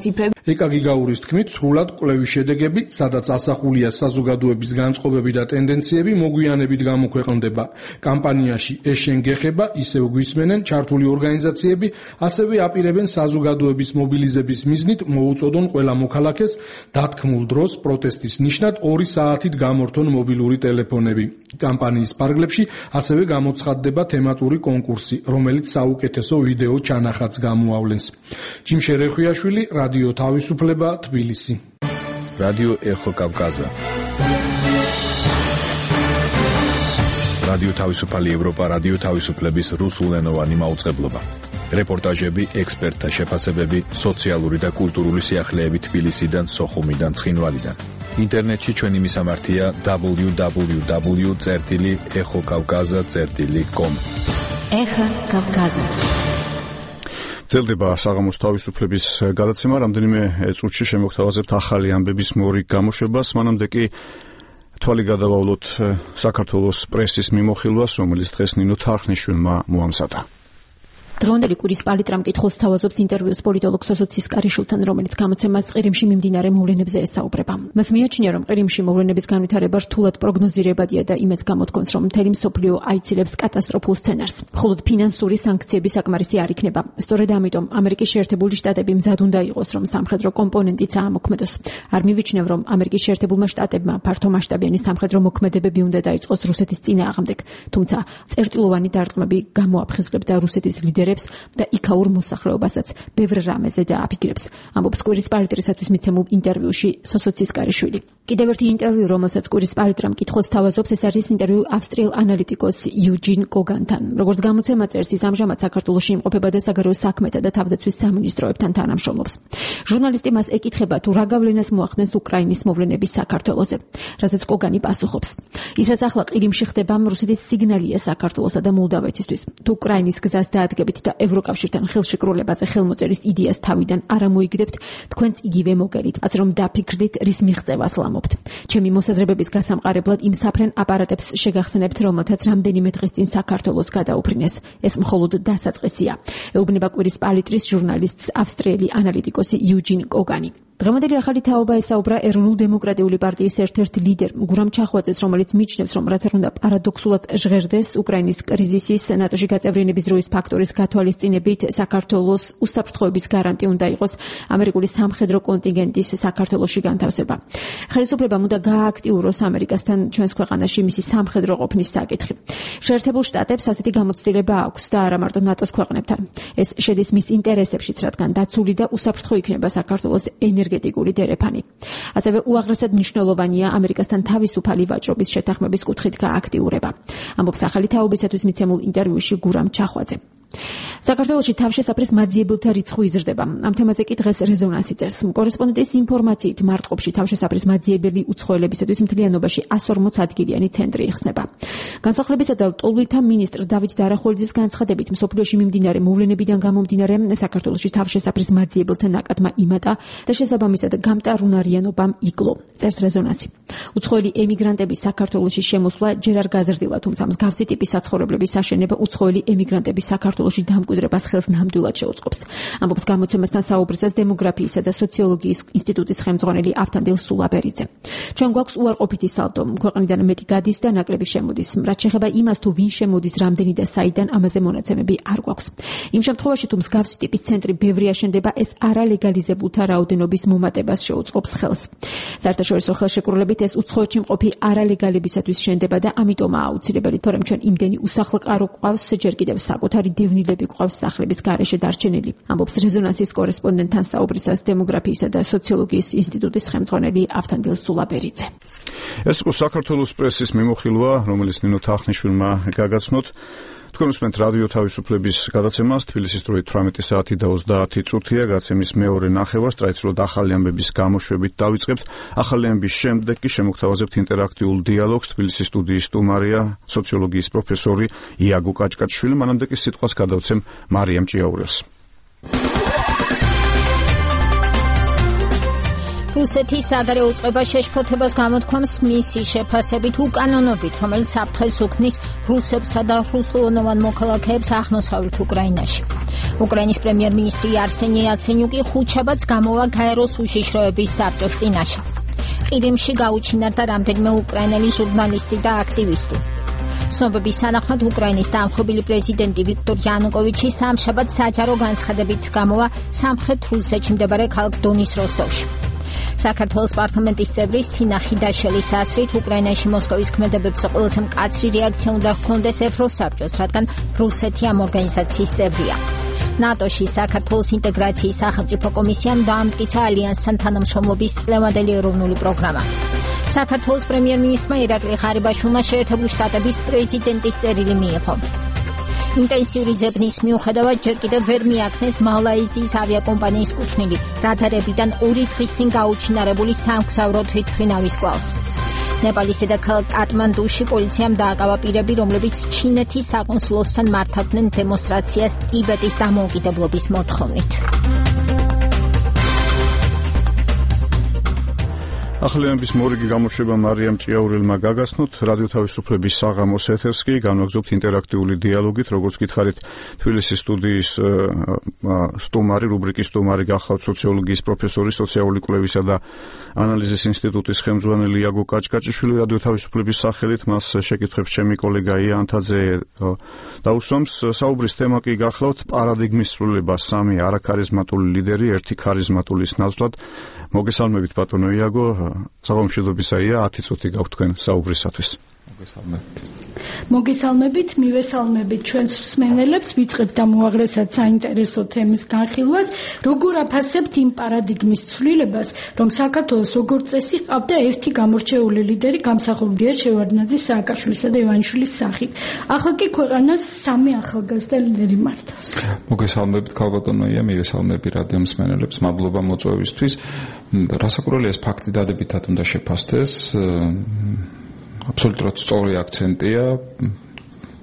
ციფრები. ეკა გიგაურის თქმით, სრულად კვლევის შედეგები, სადაც ასახულია საზოგადოების განწყობები და ტენდენციები, მოგვიანებით გამოქვეყნდება. კამპანიაში ეშენგეხება, ისევ გვისმენენ ჩართული ორგანიზაციები, ასევე აპირებენ საზოგადოების მობილიზების მიზნით მოუწოდონ ყველა მოქალაქეს დათქმულ დროს პროტესტის ნიშნად ორი საათით გამორთონ მობილური ტელეფონები. კამპანიის ფარგლებში ასევე გამოცხადდება თემატური კონკურსი, რომელიც საუკეთესო ვიდეო ჩანახატს გამოავლენს. ჯიმშე რეხვიაშვილი, რადიო თავისუფლება, თბილისი. რადიო ეხო კავკაზა. რადიო თავისუფალი ევროპა, რადიო თავისუფლების რუსულენოვანი მაუწყებლობა. რეპორტაჟები, ექსპერტთა შეფასებები, სოციალური და კულტურული სიახლეები თბილისიდან, სოხუმიდან, ცხინვალიდან. ინტერნეტში ჩვენი მისამართია დაბლიუ დაბლიუ დაბლიუ წერტილი ეხო კავკაზა წერტილი კომ. ეხო კავკაზა. ძლდება საღამოს თავისუფლების გადაცემა, რამდენიმე წუთში შემოგთავაზებთ ახალი ამბების მორიგ გამოშვებას, მანამდე კი თვალი გადავავლოთ საქართველოს პრესის მიმოხილვას, რომელიც დღეს ნინო თარხნიშვილმა მოამზადა. დღევანდელი კვირის პალიტრა მკითხველს თავაზობს ინტერვიუს პოლიტოლოგ სოსოცის კარიშვილთან, რომელიც გამოცემას ყირიმში მიმდინარე მოვლენებზე ესაუბრება. მას მიაჩნია, რომ ყირიმში მოვლენების განვითარება რთულად პროგნოზირებადია და იმედს გამოთქვამს, რომ მთელი მსოფლიო აიცილებს კატასტროფულ სცენარს. მხოლოდ ფინანსური სანქციები საკმარისი არ იქნება. სწორედ ამიტომ ამერიკის შეერთებული შტატები მზად უნდა იყოს, რომ სამხედრო კომპონენტიც აამოქმედოს. არ მივიჩნევ, რომ ამერიკის შეერთებულმა შტატებმა ფართომასშტაბიანი სამხედრო მოქმედებები უნდა დაიწყოს რუსეთის წინააღმდეგ, თუმცა წერტილოვანი დარტყმები გამოაფხიზლებდა რუსეთის ლიდერებს და იქაურ მოსახლეობასაც ბევრ რამეზე დააფიქრებს. ამბობს კვირის პალიტრისათვის მიცემულ ინტერვიუში სოსოცის კარიშვილი. კიდევ ერთი ინტერვიუ, რომელსაც კვირის პალიტრა მკითხველს თავაზობს, ეს არის ინტერვიუ ავსტრიელ ანალიტიკოს იუჯინ კოგანთან. როგორც გამოცემა წერს, ის ამჟამად საქართველოში იმყოფება და საგარეო საქმეთა და თავდაცვის სამინისტროებთან თანამშრომლობს. ჟურნალისტი მას ეკითხება, თუ რა გავლენას მოახდენს უკრაინის მოვლენების საქართველოზე, რასაც კოგანი პასუხობს. ის რაც ახლა ყირიმში ხდება, რუსეთის სიგნალია საქართველოსა და მოლდავეთისთვის. თუ უკრაინის გზას დაადგებით და ევროკავშირთან ხელშეკრულებაზე ხელმოწერის იდეას თავიდან არ ამოიგდებთ, თქვენც იგივე მოგერით, ასე რომ დაფიქრდით, რის მიღწევას ლამობთ. ჩემი მოსაზრებების გასამყარებლად იმ საფრენ აპარატებს შეგახსენებთ, რომელთაც რამდენიმე დღის წინ საქართველოს გადაუფრინეს. ეს მხოლოდ დასაწყისია. ეუბნება კვირის პალიტრის ჟურნალისტს ავსტრიელი ანალიტიკოსი იუჯინ კოგანი. დღევანდელი ახალი თაობა ესაუბრა ეროვნულ-დემოკრატიული პარტიის ერთ-ერთ ლიდერ გურამ ჩახვაძეს, რომელიც მიჩნევს, რომ რაც არ უნდა პარადოქსულად ჟღერდეს უკრაინის კრიზისის ნატოში გაწევრიანების დროის ფაქტორის გათვალისწინებით, საქართველოს უსაფრთხოების გარანტი უნდა იყოს ამერიკული სამხედრო კონტინგენტის საქართველოში განთავსება. ხელისუფლებამ უნდა გაააქტიუროს ამერიკასთან ჩვენს ქვეყანაში მისი სამხედრო ყოფნის საკითხი. შეერთებულ შტატებს ასეთი გამოცდილება აქვს და არა მარტო ნატოს ქვეყნებთან. ეს შედის მის ინტერესებშიც, რადგან დაცული და უსაფრთხო იქნება საქართველოს ენერგეტიკული დერეფანი. ასევე უაღრესად მნიშვნელოვანია ამერიკასთან თავისუფალი ვაჭრობის შეთანხმების კუთხით გააქტიურება. ამბობს ახალი თაობისათვის მიცემულ ინტერვიუში გურამ ჩახვაძე. საქართველოში თავშესაფრის მაძიებელთა რიცხვი იზრდება. ამ თემაზე კი დღეს რეზონანსი წერს. კორესპონდენტის ინფორმაციით მარტყოფში თავშესაფრის მაძიებელი უცხოელებისათვის მთლიანობაში εκατს ორმოც ადგილიანი ცენტრი იხსნება. განსახლებისა და ლტოლვილთა მინისტრ დავით დარახოლიძის განცხადებით, მსოფლიოში მიმდინარე მოვლენებიდან გამომდინარე საქართველოში თავშესაფრის მაძიებელთა ნაკადმა იმატა და შესაბამისად გამტარუნარიანობამ იკლო. წერს რეზონანსი. უცხოელი ემიგრანტების საქართველოში შემოსვლა ჯერ არ გაზრდილა, თუმცა მსგავსი ტიპის საცხოვრებლების აშენება უცხოელი ემიგრანტების საქართველოში საქართველოში დამკვიდრებას ხელს ნამდვილად შეუწყობს. ამბობს გამოცემასთან საუბრისას დემოგრაფიისა და სოციოლოგიის ინსტიტუტის ხელმძღვანელი ავთანდილ სულაბერიძე. ჩვენ გვაქვს უარყოფითი სალდო, ქვეყნიდან მეტი გადის და ნაკლები შემოდის. რაც შეეხება იმას, თუ ვინ შემოდის, რამდენი და საიდან, ამაზე მონაცემები არ გვაქვს. იმ შემთხვევაში, თუ მსგავსი ტიპის ცენტრი ბევრი აშენდება, ეს არალეგალიზებულთა რაოდენობის მომატებას შეუწყობს ხელს. საერთაშორისო ხელშეკრულებით ეს უცხოეთში მყოფი არალეგალებისათვის შენდება და ამიტომაა აუცილებელი, თორემ ჩვენ იმდენი usახლო კარო გვყავს, ჯერ კიდევ საკუთარი დევნილები გვყავს სახლების გარეშე დარჩენილი. ამბობს რეზონანსის კორესპონდენტთან საუბრისას დემოგრაფიისა და სოციოლოგიის ინსტიტუტის ხელმძღვანელი ავთანდილ სულაბერიძე. ეს იყო საქართველოს პრესის მიმოხილვა, რომელიც ნინო თახნიშვილმა გაგაცნოთ. თქვენ უსმენთ რადიო თავისუფლების გადაცემას, თბილისის დროით თვრამეტი საათი და ოცდაათი წუთია, გადაცემის მეორე ნახევარს ტრადიციულად ახალი ამბების გამოშვებით დავიწყებთ. ახალი ამბების შემდეგ კი შემოგთავაზებთ ინტერაქტიულ დიალოგს. თბილისის სტუდიის სტუმარია სოციოლოგიის პროფესორი იაგო კაჭკაჭშვილი, მანამდე კი სიტყვას გადავცემ მარიამ ჭიაურელს. რუსეთის საგარეო უწყება შეშფოთებას გამოთქვამს მისი შეფასებით უკანონობით, რომელიც საფრთხეს უქმნის რუსებსა და რუსულენოვან მოქალაქეებს აღმოსავლეთ უკრაინაში. უკრაინის პრემიერ-მინისტრი არსენი იაცენიუკი ხუთშაბათს გამოვა გაეროს უშიშროების საბჭოს წინაშე. ყირიმში გაუჩინარდა რამდენიმე უკრაინელი ჟურნალისტი და აქტივისტი. ცნობების თანახმად უკრაინის დამხობილი პრეზიდენტი ვიქტორ იანუკოვიჩი სამშაბათს საჯარო განცხადებით გამოვა სამხრეთ რუსეთში მდებარე ქალაქ დონის როსტოვში. საქართველოს პარლამენტის წევრი თინა ხიდაშელის აზრით უკრაინაში მოსკოვის ქმედებებს ყველაზე მკაცრი რეაქცია უნდა ჰქონდეს ევროსაბჭოს, რადგან რუსეთი ამ ორგანიზაციის წევრია. ნატოში საქართველოს ინტეგრაციის სახელმწიფო კომისიამ დაამტკიცა ალიანსთან თანამშრომლობის წლევანდელი ეროვნული პროგრამა. საქართველოს პრემიერ-მინისტრმა ირაკლი ღარიბაშვილმა შეერთებული შტატების პრეზიდენტის წერილი მიიღო. ინტენსიური ძებნის მიუხედავად ჯერ კიდევ ვერ მიაქნეს მალაიზიის ავიაკომპანიის კუთვნილი რადარებიდან ორი დღის წინ გაუჩინარებული სამგზავრო თვითმფრინავის კვალს. ნეპალის დედაქალაქ კატმანდუში პოლიციამ დააკავა პირები, რომლებიც ჩინეთის საკონსულოსთან მართავდნენ დემონსტრაციას ტიბეტის დამოუკიდებლობის მოთხოვნით. ახალი ამბების მორიგი გამოშვება მარიამ ჭიაურელმა გაგაცნოთ. რადიო თავისუფლების საღამოს ეთერს კი განვაგრძობთ ინტერაქტიული დიალოგით, როგორც გითხარით, თბილისის სტუდიის სტუმარი, რუბრიკის სტუმარი გახლავთ სოციოლოგიის პროფესორი, სოციალური კვლევისა და ანალიზის ინსტიტუტის ხელმძღვანელი იაგო კაჭკაჭიშვილი. რადიო თავისუფლების სახელით მას შეკითხვებს ჩემი კოლეგა ია ანთაძე დაუსვამს. საუბრის თემა კი გახლავთ პარადიგმის ცვლილება, სამი არაქარიზმატული ლიდერი, ერთი ქარიზმატულის ნაცვლად. მოგესალმებით ბატონო იაგო, საღამომშვიდობისაია, ათი წუთი გაქვთ თქვენ საუბრისათვის. მოგესალმებით, მივესალმებით ჩვენს მსმენელებს, ვიწყებთ ამ უაღრესად საინტერესო თემის განხილვას, როგორ აფასებთ იმ პარადიგმის ცვლილებას, რომ საქართველოს როგორც წესი ყავდა ერთი გამორჩეული ლიდერი, გამსახურდია შევარდნაძის, სააკაშვილისა და ივანიშვილის სახით. ახლა კი ქვეყანას სამი ახალგაზრდა ლიდერი მართავს. მოგესალმებით ქალბატონოია, მივესალმები რადიო მსმენელებს, მადლობა მოწვევისთვის. რასაკვირველია, ეს ფაქტი დადებითად უნდა შეფასდეს. აბსოლუტურად სწორი აქცენტია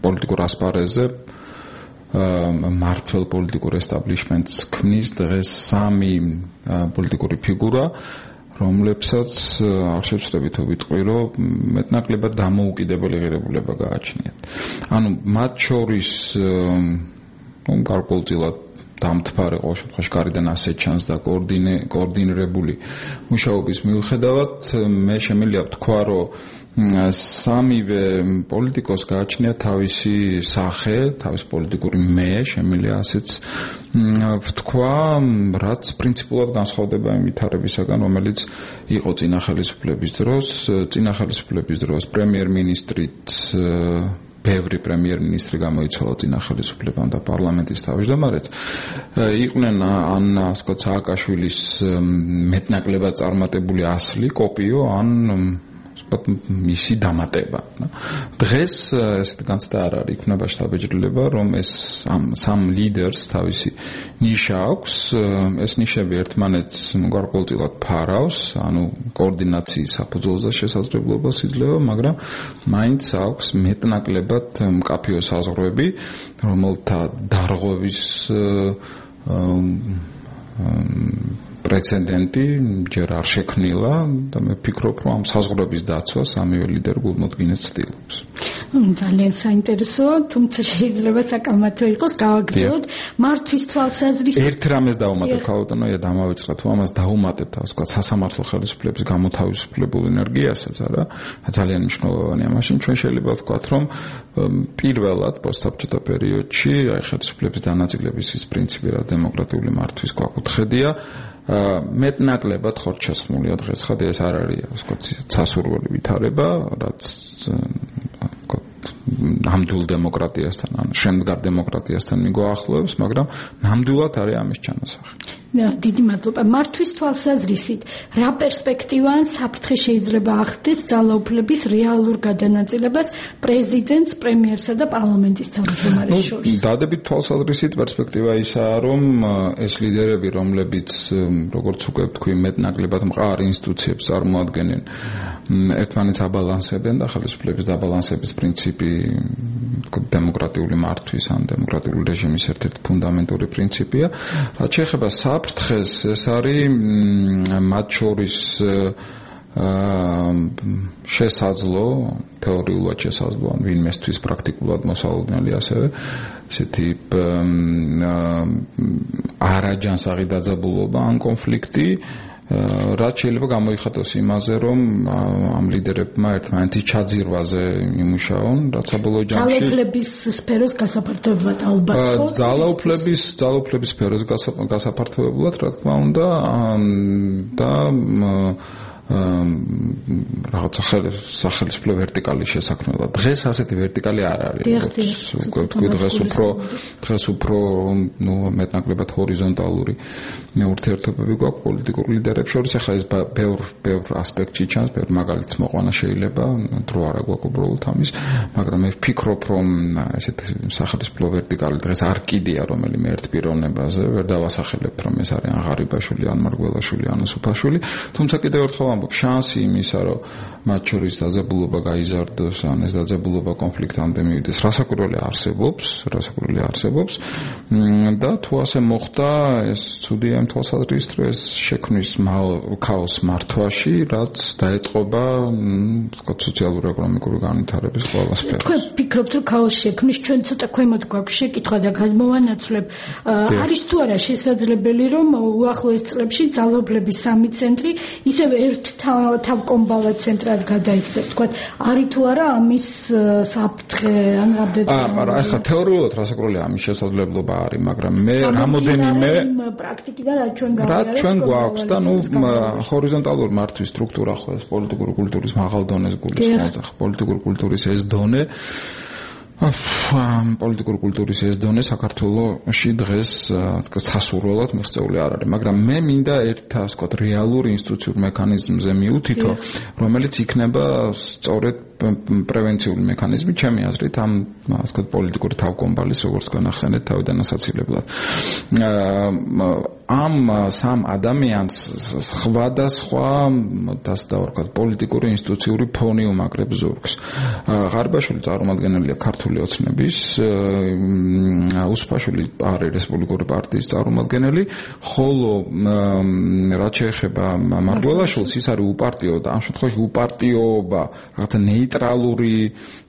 პოლიტიკურ ასპარეზზე. მართლ პოლიტიკურ ესტაბლიშმენტს ქმნის დღეს სამი პოლიტიკური ფიგურა, რომლებსაც არ შეცდები თუ ვიტყვი, რომ მეტნაკლებად დამოუკიდებელი ღირებულება გააჩნიათ. ანუ მათ შორის გარკვეულწილად დამთფარე ყოველ შემთხვევაში გარედან ასეთ ჩანს და კოორდინირებული მუშაობის მიუხედავად მე შემიძლია ვთქვა, რომ სამივე პოლიტიკოს გააჩნია თავისი სახე, თავისი პოლიტიკური მე, შემიძლია ასეც ვთქვა, რაც პრინციპულად განსხვავდება იმ ვითარებისაგან, რომელიც იყო წინა ხელისუფლების დროს. წინა ხელისუფლების დროს პრემიერ-მინისტრით ბევრი პრემიერ-მინისტრი გამოიცვალა წინა ხელისუფლებამ და პარლამენტის თავმჯდომარეც. იყვნენ ან ასე ვთქვათ სააკაშვილის მეტნაკლებად წარმატებული ასლი, კოპიო, ან მისი დამატება. დღეს ესეთ განცდა არ არის, იქნება შთაბეჭდილება, რომ ეს სამ ლიდერს თავისი ნიშა აქვს. ეს ნიშები ერთმანეთს გარკვეულწილად ფარავს, ანუ კოორდინაციის საფუძველზე შესაძლებლობას იძლევა, მაგრამ მაინც აქვს მეტნაკლებად მკაფიო საზღვრები, რომელთა დარღვევის პრეცედენტი ჯერ არ შექმნილა და მე ვფიქრობ, რომ ამ საზღვრების დაცვა სამივე ლიდერი გულმოდგინედ ცდილობს. ძალიან საინტერესოა, თუმცა შეიძლება საკამათო იყოს, გავაგრძელოთ მართვის თვალსაზრისით. ერთ რამეს დავუმატებ ქალბატონო, დამავიწყდა თუ ამას დაუმატებ თავს, თქვა სასამართლო ხელისუფლების გამოთავისუფლებულ ენერგიასაც, არა? ძალიან მნიშვნელოვანია. მაშინ ჩვენ შეიძლება ვთქვათ, რომ პირველად პოსტსაბჭოთა პერიოდში აი ხელისუფლების დანაწილების ის პრინციპი, რა დემოკრატიული მართვის გვაკუთხედია, მეტნაკლებად ხორჩასხმულია დღეს ხადი ეს არ არის, ასე ვთქვათ, სასურველი ვითარება, რაც ნამდვილ დემოკრატიასთან, ან შემდგარ დემოკრატიასთან მიგვაახლოვებს, მაგრამ ნამდვილად არის ამის ჩანასახი. დიდი მადლობა. მართვის თვალსაზრისით, რა პერსპექტივა ან საფრთხე შეიძლება ახდენს ძალაუფლების რეალურ გადანაწილებას პრეზიდენტს, პრემიერსა და პარლამენტის თავმჯდომარეს შორის? დადებით თვალსაზრისით პერსპექტივა ისაა, რომ ეს ლიდერები, რომლებიც როგორც უკვე ვთქვი, მეტნაკლებად მყარ ინსტიტუციებს წარმოადგენენ, ერთმანეთს აბალანსებენ და ხელისუფლების დაბალანსების პრინციპი დემოკრატიული მართვის ან დემოკრატიული რეჟიმის ერთ-ერთი ფუნდამენტური პრინციპია. რაც შეეხება საფრთხეს, ეს არის მათ შორის შესაძლო, თეორიულად შესაძლო, ან ვინმესთვის პრაქტიკულად მოსალოდნელი ასევე ესეთი არაჯანსაღი დაძაბულობა ან კონფლიქტი, რაც შეიძლება გამოიხატოს იმაზე, რომ ამ ლიდერებმა ერთმანეთის ჩაძირვაზე იმუშაონ, რაც საბოლოო ჯამში ძალაუფლების სფეროს გასაფართოებლად ალბათ ხო? ძალაუფლების ძალაუფლების სფეროს გასაფართოებლად, რა თქმა უნდა, და რაღაცა სახელმწიფო ვერტიკალის შესაქმნელად. დღეს ასეთი ვერტიკალი არ არის. უკვე თქვი დღეს უფრო დღეს უფრო ნუ მეტნაკლებად ჰორიზონტალური ურთიერთობები გვაქვს პოლიტიკურ ლიდერებს შორის. ახლა ეს ბევრ ბევრ ასპექტში ჩანს, ბევრ მაგალითს მოყვანა შეიძლება, დრო არა გვაქვს უბრალოდ ამის, მაგრამ მე ვფიქრობ, რომ ესეთი სახელმწიფო ვერტიკალი დღეს არ კიდია რომელიმე ერთ პიროვნებაზე, ვერ დავასახელებთ, რომ ეს არის ან ღარიბაშვილი, ან მარგველაშვილი, ან უსუფაშვილი, თუმცა კიდევ ერთხელ შანსი იმისა, რომ მათ შორის დაძაბულობა გაიზარდოს, ან ეს დაძაბულობა კონფლიქტამდე მივიდეს, რასაკვირველი არსებობს, რასაკვირველი არსებობს და თუ ასე მოხდა, ეს ცუდია იმ თვალსაზრისით, რომ ეს შექმნის ქაოსს მართვაში, რაც დაეტყობა, ვთქვათ, სოციალურ-ეკონომიკური განვითარების ყველა სფეროს. თქვენ ფიქრობთ, რომ ქაოსს შექმნის, ჩვენ ცოტა ქვემოთ გვაქვს შეკითხვა და გადმოვანაცვლებ. არის თუ არა შესაძლებელი, რომ უახლოეს წლებში ძალაუფლების სამი ცენტრი ისევე ერთ თავკომბალად ცენტრად გადაიქცეს, თქვათ, არის თუ არა ამის საფრთხე ან რამდენად? აა, მაგრამ ახლა თეორიულად რასაკვირველია ამის შესაძლებლობა არის, მაგრამ მე რამოდენიმე პრაქტიკიდან რა ჩვენ რა ჩვენ გვაქვს და ნუ ჰორიზონტალური მართვის სტრუქტურა ხო ეს პოლიტიკური კულტურის მაღალ დონეს გულისხმობს, ახლა პოლიტიკური კულტურის ეს დონე პოლიტიკური კულტურის ეს დონე საქართველოში დღეს სასურველად მიღწეული არ არის, მაგრამ მე მინდა ერთ ასე ვთქვათ რეალურ ინსტიტუციურ მექანიზმზე მიუთითო, რომელიც იქნება სწორედ პრევენციული მექანიზმი, ჩემი აზრით, ამ ასე ვთქვათ პოლიტიკური თავკომბალის, როგორც თქვენ ახსენეთ, თავიდან ასაცილებლად. ამ სამ ადამიანს სხვადასხვა დასდავარქად პოლიტიკური ინსტიტუციური ფონი უმაგრებს ზურგს. ღარიბაშვილი წარმოადგენელია ქართული ოცნების, უსუფაშვილი არის რესპუბლიკური პარტიის წარმომადგენელი, ხოლო რაც შეეხება მარგველაშვილს, ის არის უპარტიო და ამ შემთხვევაში უპარტიობა რაღაცა ნეიტრალური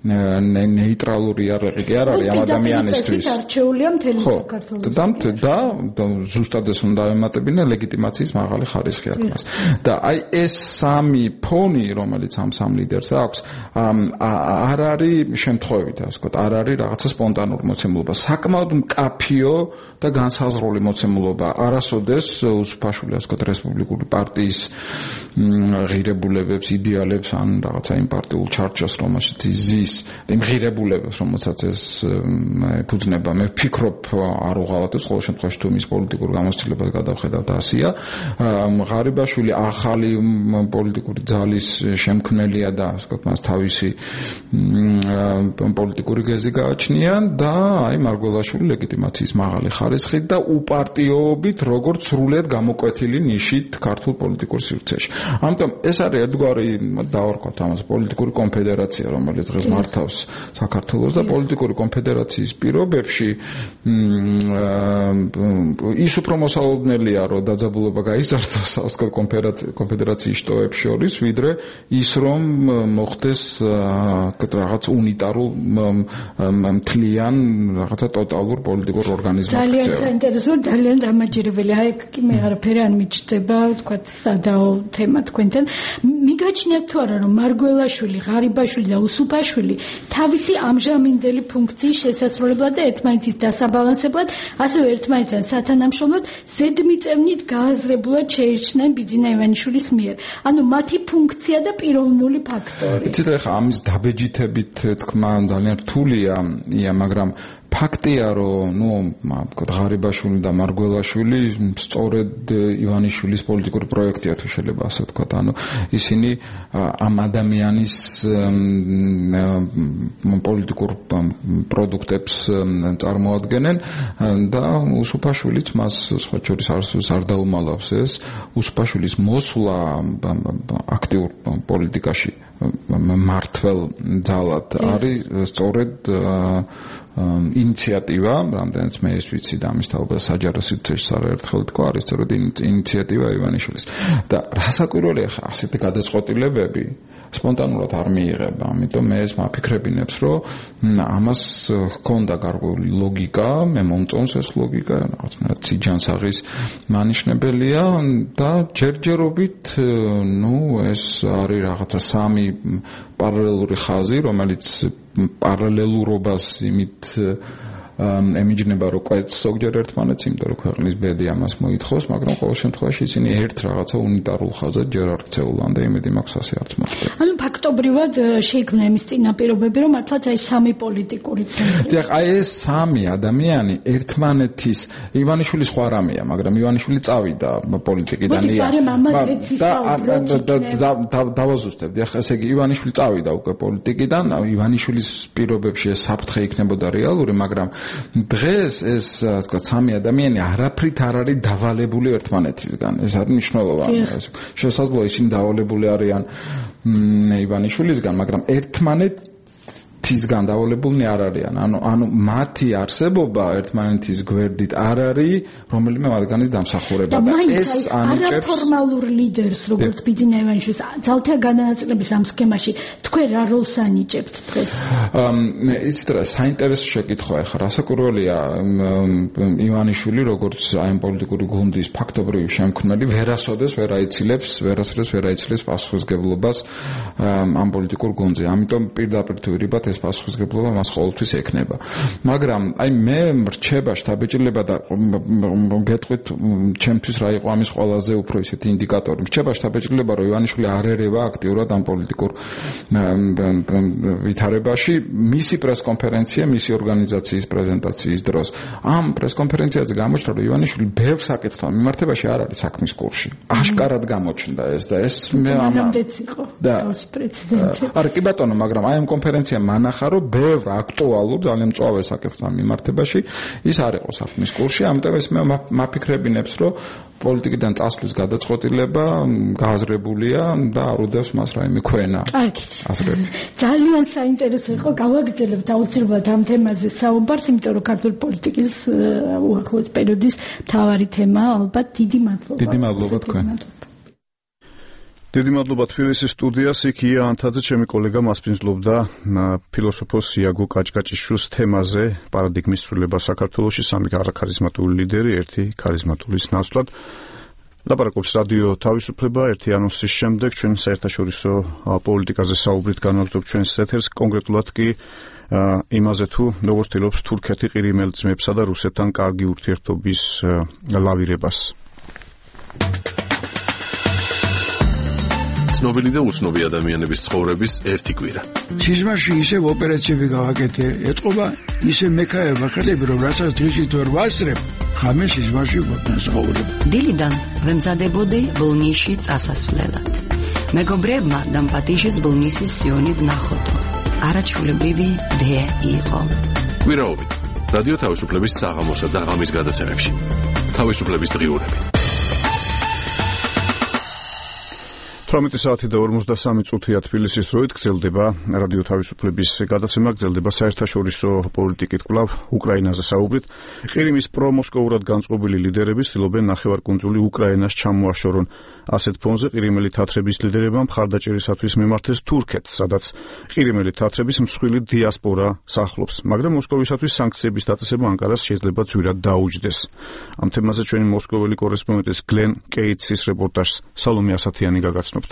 ნეიტრალური არაყი კი არ არის ამ ადამიანისთვის. არჩეულია მთელი საქართველოს. და და ზუსტად ეს უნდა ემატებინა ლეგიტიმაციის მაღალი ხარისხი აქვს. და აი ეს სამი ფონი, რომელიც ამ სამ ლიდერს აქვს, არ არის შემთხვევით, ასე ვთქვათ, არ არის რაღაცა სპონტანური მოცემულობა. საკმაოდ მკაფიო და განსაზღვრული მოცემულობა. არასოდეს უსუფაშვილი, ასე ვთქვათ, რესპუბლიკური პარტიის ღირებულებებს, იდეალებს ან რაღაცა იმ პარტიულ ჩარჩოს, რომელშიც იზის იმ ღირებულებებს, რომელსაც ეს ეფუძნება. მე ვფიქრობ, არ უღალატებს ყოველ შემთხვევაში თუ მის პოლიტიკურ გამოცდილებას გადავხედავთ ასია. ღარიბაშვილი ახალი პოლიტიკური ძალის შემქმნელია და ასე ვთქვათ, მას თავისი პოლიტიკური გეზი გააჩნია და აი მარგველაშვილი ლეგიტიმაციის მაღალი ხარისხით და უპარტიობით, როგორც სრულიად გამოკვეთილი ნიშით ქართულ პოლიტიკურ სივრცეში. ამიტომ ეს არის ერთგვარი დავარქვათ ამას პოლიტიკური კონფედერაცია, რომელიც დღეს მართავს საქართველოს და პოლიტიკური კონფედერაციის პირობებში ის უფრო მოსალოდნელი მოსალოდნელია, რომ დაძაბულობა გაიზარდოს საოცარ კონფედერაციის შტოებს შორის, ვიდრე ის, რომ მოხდეს რაღაც უნიტარულ მთლიან რაღაცა ტოტალურ პოლიტიკურ ორგანიზმად. ძალიან საინტერესო, ძალიან დამაჯერებელი. აი, კი მე არაფერი არ მიჩნდება, თქვა სადაო თემა თქვენთან. მიგაჩნიათ თუ არა, რომ მარგველაშვილი, ღარიბაშვილი და უსუფაშვილი თავისი ამჟამინდელი ფუნქციის შესასრულებლად და ერთმანეთის დასაბალანსებლად, ასევე ერთმანეთთან სათანამშრომლოდ ზედმიწევნით გააზრებულად შეირჩნენ ბიძინა ივანიშვილის მიერ. ანუ მათი ფუნქცია და პიროვნული ფაქტორი. იცით რა, ამის დაბეჯითებით თქმა ძალიან რთულია, მაგრამ ფაქტია, რომ ნუ ღარიბაშვილი და მარგველაშვილი სწორედ ივანიშვილის პოლიტიკური პროექტია, თუ შეიძლება ასე ვთქვათ. ანუ ისინი ამ ადამიანის პოლიტიკურ პროდუქტებს წარმოადგენენ და უსუფაშვილიც მას სხვა შორის არ დაუმალავს ეს. უსუფაშვილის მოსვლა აქტიურ პოლიტიკაში მართლ ძალად არის სწორედ ინიციატივა, რამდენიც მე ეს ვიცი და ამის თაობა საჯარო სივრცეში არაერთხელ თქვა, არის სწორედ ინიციატივა ივანიშვილის. და რასაკვირველია ხა ასეთი გადაწყვეტილებები სპონტანურად არ მიიღება, ამიტომ მე ეს მაფიქრებინებს, რომ ამას ჰქონდა გარკვეული ლოგიკა, მე მომწონს ეს ლოგიკა, რაღაცნაირად სიჯანსაღის მანიშნებელია და ჯერჯერობით, ნუ ეს არის რაღაცა სამი პარალელური ხაზი, რომელიც პარალელურობას იმით ემიჯნება, რომ კვეთს ზოგჯერ ერთმანეთს, იმიტომ რომ ქვეყნის ბედი ამას მოითხოვს, მაგრამ ყოველ შემთხვევაში ისინი ერთ რაღაცა უნიტარულ ხაზად ჯერ არ ქცეულან და იმედი მაქვს ასე არც მოხდება. ანუ ფაქტობრივად შეიქმნა იმის წინაპირობები, რომ მართლაც აი სამი პოლიტიკური ცენტრი. დიახ, აი ეს სამი ადამიანი ერთმანეთის ივანიშვილი სხვა რამეა, მაგრამ ივანიშვილი წავიდა პოლიტიკიდან. და დავაზუსტებ, დიახ, ესე იგი ივანიშვილი წავიდა უკვე პოლიტიკიდან, ივანიშვილის პირობებში ეს საფრთხე იქნებოდა რეალური, მაგრამ დღეს ეს თქვა სამი ადამიანი არაფრით არ არის დავალებული ერთმანეთისგან. ეს არის მნიშვნელოვანი. შესაძლოა ისინი დავალებული არიან ივანიშვილისგან, მაგრამ ერთმანეთისგან დავალებულნი არ არიან. ანუ ანუ მათი არსებობა ერთმანეთის გვერდით არ არის რომელიმე მათგანის დამსახურება და ეს ანიჭებს არაფორმალურ ლიდერს, როგორც ბიძინა ივანიშვილის ძალთა განაწილების ამ სქემაში თქვენ რა როლს ანიჭებთ დღეს? იცით რა, საინტერესო შეკითხვაა ხა, რასაკვირველია ივანიშვილი როგორც აი ამ პოლიტიკური გუნდის ფაქტობრივი შემქმნელი ვერასოდეს ვერ აიცილებს, ვერასოდეს ვერ აიცილებს პასუხისმგებლობას ამ პოლიტიკურ გუნდზე. ამიტომ პირდაპირ თუ ვირიბათ ეს პასუხისმგებლობა მას ყოველთვის ექნება. მაგრამ აი მე მრჩება შთაბეჭდილება და გეტყვით ჩემთვის რა იყო ამის ყველაზე უფრო ისეთი ინდიკატორი. მრჩება შთაბეჭდილება, რომ ივანიშვილი არ ერევა აქტიურად ამ პოლიტიკურ ვითარებაში. მისი პრესკონფერენცია, მისი ორგანიზაციის პრეზენტაციის დროს ამ პრესკონფერენციაზე გამოჩნდა, რომ ივანიშვილი ბევრ საკითხთან მიმართებაში არ არის საქმის კურსში. აშკარად გამოჩნდა ეს და ეს მე ამამდეც იყო ეს პრეცედენტი. არა კი ბატონო, მაგრამ აი ამ კონფერენციამ მანახა, რომ ბევრ აქტუალურ, ძალიან მწვავე საკითხთან მიმართებაში ის არ იყო საქმის კურსში, ამიტომ ეს მე მაფიქრებინებს, რომ პოლიტიკიდან წასვლის გადაწყვეტილება გააზრებულია და არ უდევს მას რაიმე ქვენა. კარგით. აზრები. ძალიან საინტერესო იყო, გავაგრძელებთ აუცილებლად ამ თემაზე საუბარს, იმიტომ რომ ქართული პოლიტიკის უახლოეს პერიოდის მთავარი თემაა, ალბათ დიდი მადლობა. დიდი მადლობა თქვენ. დიდი მადლობა თბილისის სტუდიას, იქ ია ანთაძე, ჩემი კოლეგა მასპინძლობდა ფილოსოფოს იაგო კაჭკაჭიშვილის თემაზე, პარადიგმის ცვლილება საქართველოში, სამი არაქარიზმატული ლიდერი, ერთი ქარიზმატულის ნაცვლად. ლაპარაკობს რადიო თავისუფლება, ერთი ანონსის შემდეგ ჩვენ საერთაშორისო პოლიტიკაზე საუბრით განვაგრძობთ ჩვენს ეთერს, კონკრეტულად კი იმაზე თუ როგორ ცდილობს თურქეთი ყირიმელ ძმებსა და რუსეთთან კარგი ურთიერთობის ლავირებას. ცნობილი და უცნობი ადამიანების ცხოვრების ერთი კვირა. სიზმარში ისევ ოპერაციები გავაკეთე, ეთყობა ისე მექაება ხელები, რომ რასაც დღისით ვერ ვასწრებ, ხამე სიზმარში ვაცხოვრებ. დილიდან ვემზადებოდი ბოლნისში წასასვლელად. მეგობრებმა დამპატიშის ბოლნისის სიონი ვნახოდო. არაჩვეულებრივი დე იყო. კვირაობით რადიო თავისუფლების საღამოსა და ღამის gadაცემებში. თავისუფლების დღიურები. ოცდაოთხ საათი და ორმოცდასამი წუთია თბილისის დროით გრძელდება რადიო თავისუფლების გადაცემა, გრძელდება საერთაშორისო პოლიტიკით კვლავ უკრაინაზე საუბრით. ყირიმის პრომოსკოვურად განწყობილი ლიდერები ცდილობენ ნახევარკუნძული უკრაინას ჩამოაშორონ. ასეთ ფონზე ყირიმელი თათრების ლიდერებმა მხარდაჭერისათვის მიმართეს თურქეთს, სადაც ყირიმელი თათრების მსხვილი დიასპორა სახლობს, მაგრამ მოსკოვისათვის სანქციების დაწესება ანკარას შეიძლება ძვირად დაუჯდეს. ამ თემაზე ჩვენი მოსკოველი კორესპონდენტის გლენ კეიტსის რეპორტაჟს სალომე ასათიანი გაგაცნობთ.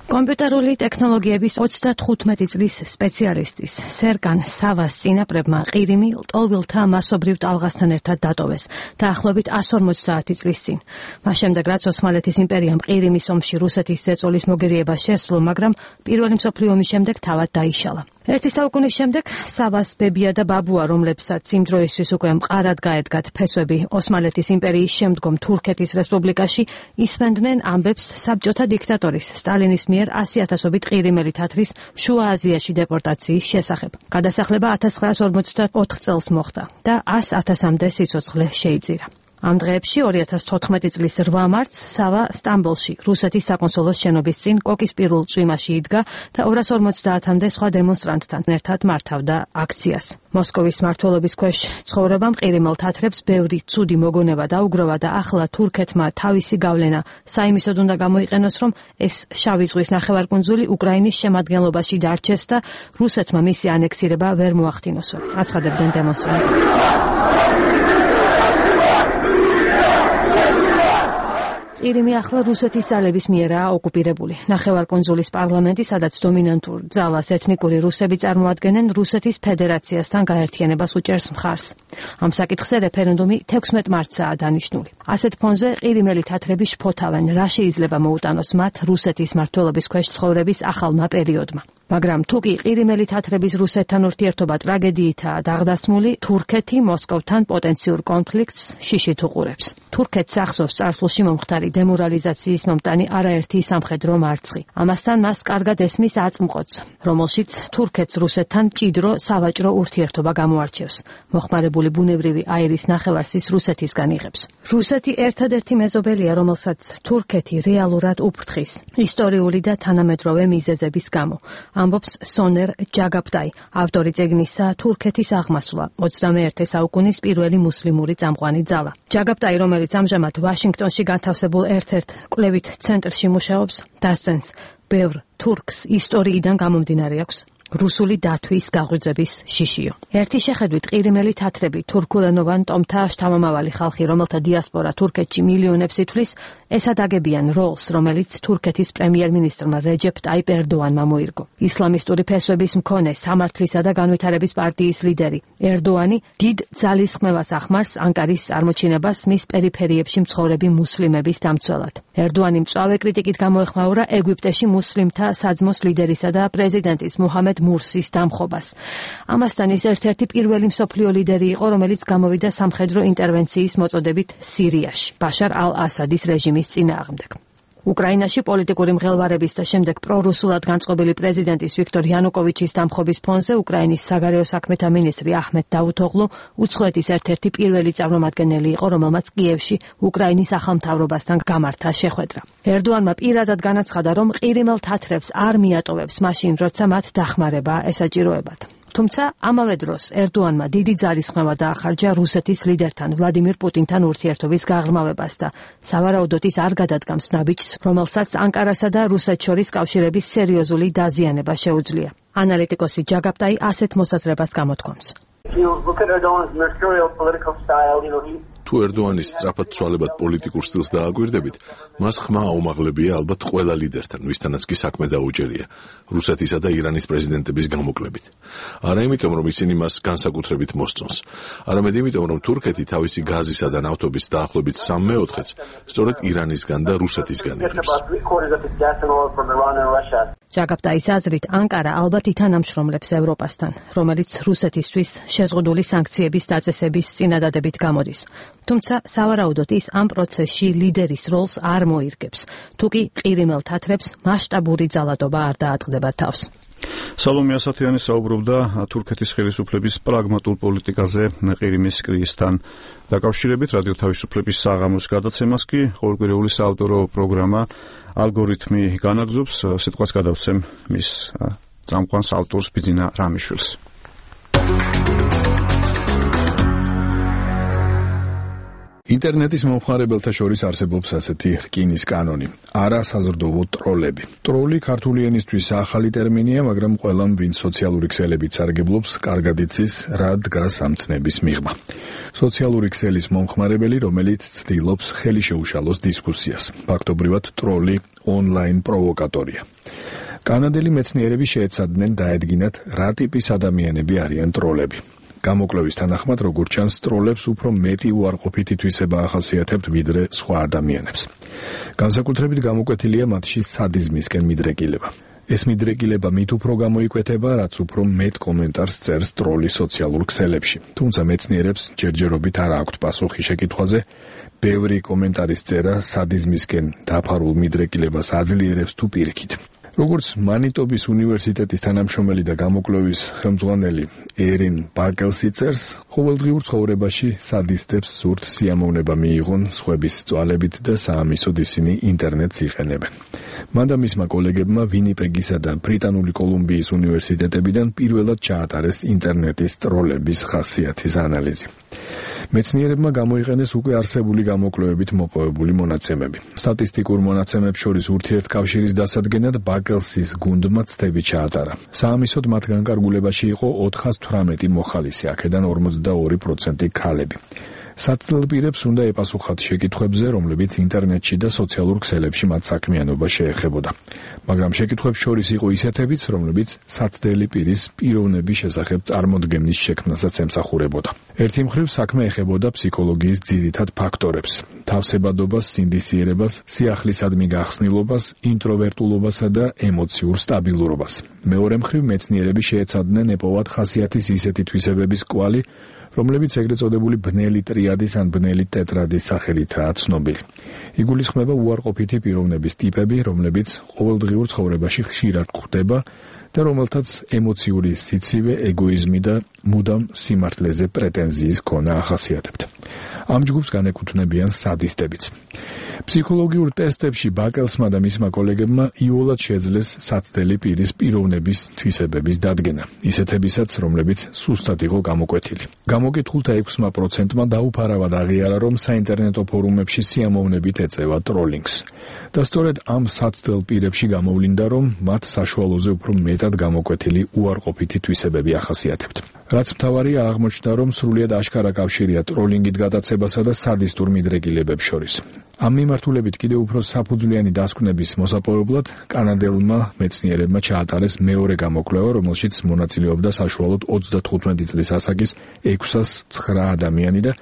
კომპიუტერული ტექნოლოგიების ოცდათხუთმეტი წლის სპეციალისტის სერგან სავას წინაპრებმა ყირიმი ლტოლვილთა მასობრივ ტალღასთან ერთად დატოვეს დაახლოებით εκατს ორმოცდაათი წლის წინ. მას შემდეგ რაც ოსმალეთის იმპერიამ ყირიმის ომში რუსეთის ზეწოლის მოგერიება შესძლო, მაგრამ პირველი მსოფლიო ომის შემდეგ თავად დაიშალა. ერთი საუკუნის შემდეგ სავას ბებია და ბაბუა, რომლებსაც იმ დროისთვის უკვე მყარად გაედგათ ფესვები ოსმალეთის იმპერიის შემდგომ თურქეთის რესპუბლიკაში, ისმენდნენ ამბებს საბჭოთა დიქტატორის სტალინის მიერ ასი ათასობით ყირიმელი თათრის შუა აზიაში დეპორტაციის შესახებ. გადასახლება ათას ცხრაას ორმოცდაოთხ წელს მოხდა და ას ათასამდე სიცოცხლე შეიძირა. ამ დღეებში ორი ათას თოთხმეტი წლის რვა მარტს სავა სტამბოლში რუსეთის საკონსულოს შენობის წინ კოკის პირველ წვიმაში იდგა და ორას ორმოცდაათამდე სხვა დემონსტრანტთან ერთად მართავდა აქციას. მოსკოვის მმართველობის ქვეშ ცხოვრებამ ყირიმელ თათრებს ბევრი ცუდი მოგონება დაუგროვა და ახლა თურქეთმა თავისი გავლენა საიმისოდ უნდა გამოიყენოს, რომ ეს შავი ზღვის ნახევარკუნძული უკრაინის შემადგენლობაში დარჩეს და რუსეთმა მისი ანექსირება ვერ მოახდინოსო. აცხადებდნენ დემონსტრანტები. ყირიმი ახლა რუსეთის ძალების მიერაა ოკუპირებული. ნახევარკუნძულის პარლამენტი, სადაც დომინანტურ ძალას ეთნიკური რუსები წარმოადგენენ, რუსეთის ფედერაციასთან გაერთიანებას უჭერს მხარს. ამ საკითხზე რეფერენდუმი თექვსმეტ მარტსაა დანიშნული. ასეთ ფონზე ყირიმელი თათრები შფოთავენ, რა შეიძლება მოუტანოს მათ რუსეთის მმართველობის ქვეშ ცხოვრების ახალმა პერიოდმა. მაგრამ თუ კი ყირიმელი თათრების რუსეთთან ურთიერთობა ტრაგედიითაა დაღდასმული, თურქეთი მოსკოვთან პოტენციურ კონფლიქტს შიშით უყურებს. თურქეთს ახსოვს წარსულში მომხდარი დემორალიზაციის მომტანი არაერთი სამხედრო მარცხი. ამასთან მას კარგად ესმის აწმყოც, რომელშიც თურქეთს რუსეთთან მჭიდრო სავაჭრო ურთიერთობა გამოარჩევს. მოხმარებული ბუნებრივი აირის ნახევარსის რუსეთისგან იღებს. რუსეთი ერთადერთი მეზობელია, რომელსაც თურქეთი რეალურად უფრთხის ისტორიული და თანამედროვე მიზეზების გამო. ამბობს სონერ ჯაგაპტაი, ავტორი წიგნისა თურქეთის აღმასვლა, ოცდამეერთე საუკუნის პირველი მუსლიმური წამყვანი ძალა. ჯაგაპტაი, რომელიც ამჟამად ვაშინგტონში განთავსებულ ერთ-ერთ კვლევით ცენტრში მუშაობს, დასცენს, ბევრ თურქს ისტორიიდან გამომდინარე აქვს რუსული დათვის გაღვიძების შიშიო. ერთი შეხედვით ყირიმელი თათრები თურქულენოვან ტომთა შთამომავალი ხალხი, რომელთა დიასპორა თურქეთში მილიონებს ითვლის, ესადაგებიან როლს, რომელიც თურქეთის პრემიერ-მინისტრმა რეჯეპ ტაიპ ერდოანმა მოირგო. ისლამისტური ფესვების მქონე სამართლისა და განვითარების პარტიის ლიდერი ერდოანი დიდ ძალისხმევას ახმარს ანკარის წარმოჩინებას მის პერიფერიებში მცხოვრები მუსლიმების დამცველად. ერდოანი მწვავე კრიტიკით გამოეხმაურა ეგვიპტეში მუსლიმთა საძმოს ლიდერისა და პრეზიდენტის მუჰამედ მურსის დამხობას. ამასთან ის ერთ-ერთი პირველი მსოფლიო ლიდერი იყო, რომელიც გამოვიდა სამხედრო ინტერვენციის მოწოდებით სირიაში, ბაშარ ალ-ასადის რეჟიმის წინააღმდეგ. უკრაინაში პოლიტიკური მღელვარების და შემდეგ პრორუსულად განწყობილი პრეზიდენტის ვიქტორ იანუკოვიჩის დამხობის ფონზე უკრაინის საგარეო საქმეთა მინისტრი აჰმედ დავუთოღლუ უცხოეთის ერთ-ერთი პირველი წარმომადგენელი იყო, რომელმაც კიევში უკრაინის ახალმთავრობასთან გამართა შეხვედრა. ერდოანმა პირადად განაცხადა, რომ ყირიმელ თათრებს არ მიატოვებს მაშინ, როცა მათ დახმარება ესაჭიროებათ. თუმცა ამავე დროს ერდოანმა დიდი ძალისხმევა დაახარჯა რუსეთის ლიდერთან ვლადიმირ პუტინთან ურთიერთობის გაღრმავებას და სავარაუდოდ ის არ გადადგამს ნაბიჯს, რომელსაც ანკარასა და რუსეთს შორის კავშირების სერიოზული დაზიანება შეუძლია. ანალიტიკოსი ჯაგაპტაი ასეთ მოსაზრებას გამოთქვამს. თუ ერდოანის სწრაფად ცვალებად პოლიტიკურ სტილს დააგვირდებით, მას ხმა აუმაღლებია ალბათ ყველა ლიდერთან, ვისთანაც კი საქმე დაუჭერია, რუსეთისა და ირანის პრეზიდენტების გამოკლებით. არა იმიტომ, რომ ისინი მას განსაკუთრებით მოსწონს, არამედ იმიტომ, რომ თურქეთი თავისი გაზისა და ნავთობის დაახლოებით სამ მეოთხედს სწორედ ირანისგან და რუსეთისგან იღებს. ჯაგაპტაის აზრით, ანკარა ალბათ ითანამშრომლებს ევროპასთან, რომელიც რუსეთისთვის შეზღუდული სანქციების დაწესების წინადადებით გამოდის. თუმცა სავარაუდოდ ის ამ პროცესში ლიდერის როლს არ მოირგებს, თუკი ყირიმელ თათრებს მასშტაბური ძალადობა არ დაატყდება თავს. სალომე ასათიანი საუბრობდა თურქეთის ხელისუფლების პრაგმატულ პოლიტიკაზე ყირიმის კრიზისთან დაკავშირებით. რადიო თავისუფლების საღამოს გადაცემას კი ყოველკვირეული საავტორო პროგრამა ალგორითმი განაგზობს. სიტყვას გადავცემ მის წამყვანს ავტორს ბიძინა რამიშვილს. ინტერნეტის მომხმარებელთა შორის არსებობს ასეთი რკინის კანონი: არა საზრდოო ტროლები. ტროლი ქართული ენისთვის ახალი ტერმინია, მაგრამ ყველამ, ვინც სოციალური ქსელებით სარგებლობს, კარგად იცის, რა დგას ამ ცნების მიღმა. სოციალური ქსელის მომხმარებელი, რომელიც ცდილობს ხელი შეუშალოს დისკუსიას. ფაქტობრივად, ტროლი ონლაინ პროვოკატორია. კანადელი მეცნიერები შეეცადნენ დაედგინათ, რა ტიპის ადამიანები არიან ტროლები. გამოკვლევის თანახმად, როგორც ჩანს, ტროლებს უფრო მეტი უარყოფითი თვისება ახასიათებთ ვიდრე სხვა ადამიანებს. განსაკუთრებით გამოკვეთილია მათში სადიზმისკენ მიდრეკილება. ეს მიდრეკილება მით უფრო გამოიკვეთება, რაც უფრო მეტ კომენტარს წერს ტროლი სოციალურ ქსელებში. თუმცა მეცნიერებს ჯერჯერობით არ აქვთ პასუხი შეკითხვაზე, ბევრი კომენტარის წერა სადიზმისკენ დაფარულ მიდრეკილებას აძლიერებს თუ პირიქით. როგორც მანიტობის უნივერსიტეტის თანამშრომელი და გამოკვლევის ხელმძღვანელი ერინ ბაკელსი წერს, ყოველდღიურ ცხოვრებაში სადისტებს სურთ სიამოვნება მიიღონ სხვების წვალებით და საამისოდ ისინი ინტერნეტს იყენებენ. მან და მისმა კოლეგებმა ვინიპეგისა და ბრიტანული კოლუმბიის უნივერსიტეტებიდან პირველად ჩაატარეს ინტერნეტის ტროლების ხასიათის ანალიზი. მეცნიერებმა გამოიყენეს უკვე არსებული გამოკვლევებით მოპოვებული მონაცემები. სტატისტიკურ მონაცემებს შორის ურთიერთკავშირის დასადგენად ბაკელსის გუნდმა ცდები ჩაატარა. საამისოდ მათ განკარგულებაში იყო ოთხას თვრამეტი მოხალისე, აქედან ორმოცდაორი პროცენტი ქალები. საცდელ პირებს უნდა ეპასუხათ შეკითხვებზე, რომლებიც ინტერნეტში და სოციალურ ქსელებში მათ საქმიანობა შეეხებოდა. მაგრამ შეკითხვებს შორის იყო ისეთებიც, რომლებიც საცდელი პირის პიროვნების შესახებ წარმოდგენის შექმნასაც ემსახურებოდა. ერთი მხრივ საქმე ეხებოდა ფსიქოლოგიის ძირითად ფაქტორებს: თავსებადობას, სინდისიერებას, სიახლისადმი გახსნილობას, ინტროვერტულობასა და ემოციურ სტაბილურობას. მეორე მხრივ მეცნიერები შეეცადნენ ეპოვათ ხასიათის ისეთი თვისებების კვალი, რომლებიც ეგრეთ წოდებული ბნელი ტრიადის ან ბნელი ტეტრადის სახელითაა ცნობილი. იგულისხმება უარყოფითი პიროვნების ტიპები, რომლებიც ყოველდღიურ ცხოვრებაში ხშირად გვხვდება და რომელთაც ემოციური სიცივე, ეგოიზმი და მუდამ სიმართლეზე პრეტენზიის ქონა ახასიათებთ. ამ ჯგუფს განეკუთვნებიან სადისტებიც. ფსიქოლოგიურ ტესტებში ბაკელსმა და მისმა კოლეგებმა იოლად შეძლეს საცდელი პირის პიროვნების თვისებების დადგენა, ისეთებისაც, რომლებიც სუსტად იყო გამოკვეთილი. გამოკითხულთა ექვსმა პროცენტმა დაუფარავად აღიარა, რომ საინტერნეტო ფორუმებში სიამოვნებით ეწევა ტროლინგს. და სწორედ ამ საცდელ პირებში გამოვლინდა, რომ მათ საშუალოზე უფრო მეტად გამოკვეთილი უარყოფითი თვისებები ახასიათებთ. რაც მთავარია, აღმოჩნდა, რომ სრულიად აშკარა კავშირია ტროლინგით გადაცებასა და სადისტურ მიდრეკილებებს შორის. ამ მიმართულებით კიდევ უფრო საფუძვლიანი დასკვნების მოსაპოვებლად კანადელმა მეცნიერებმა ჩაატარეს მეორე გამოკვლევა, რომელშიც მონაწილეობდა საშუალოდ ოცდათხუთმეტი წლის ასაკის ექვსას ცხრა ადამიანი და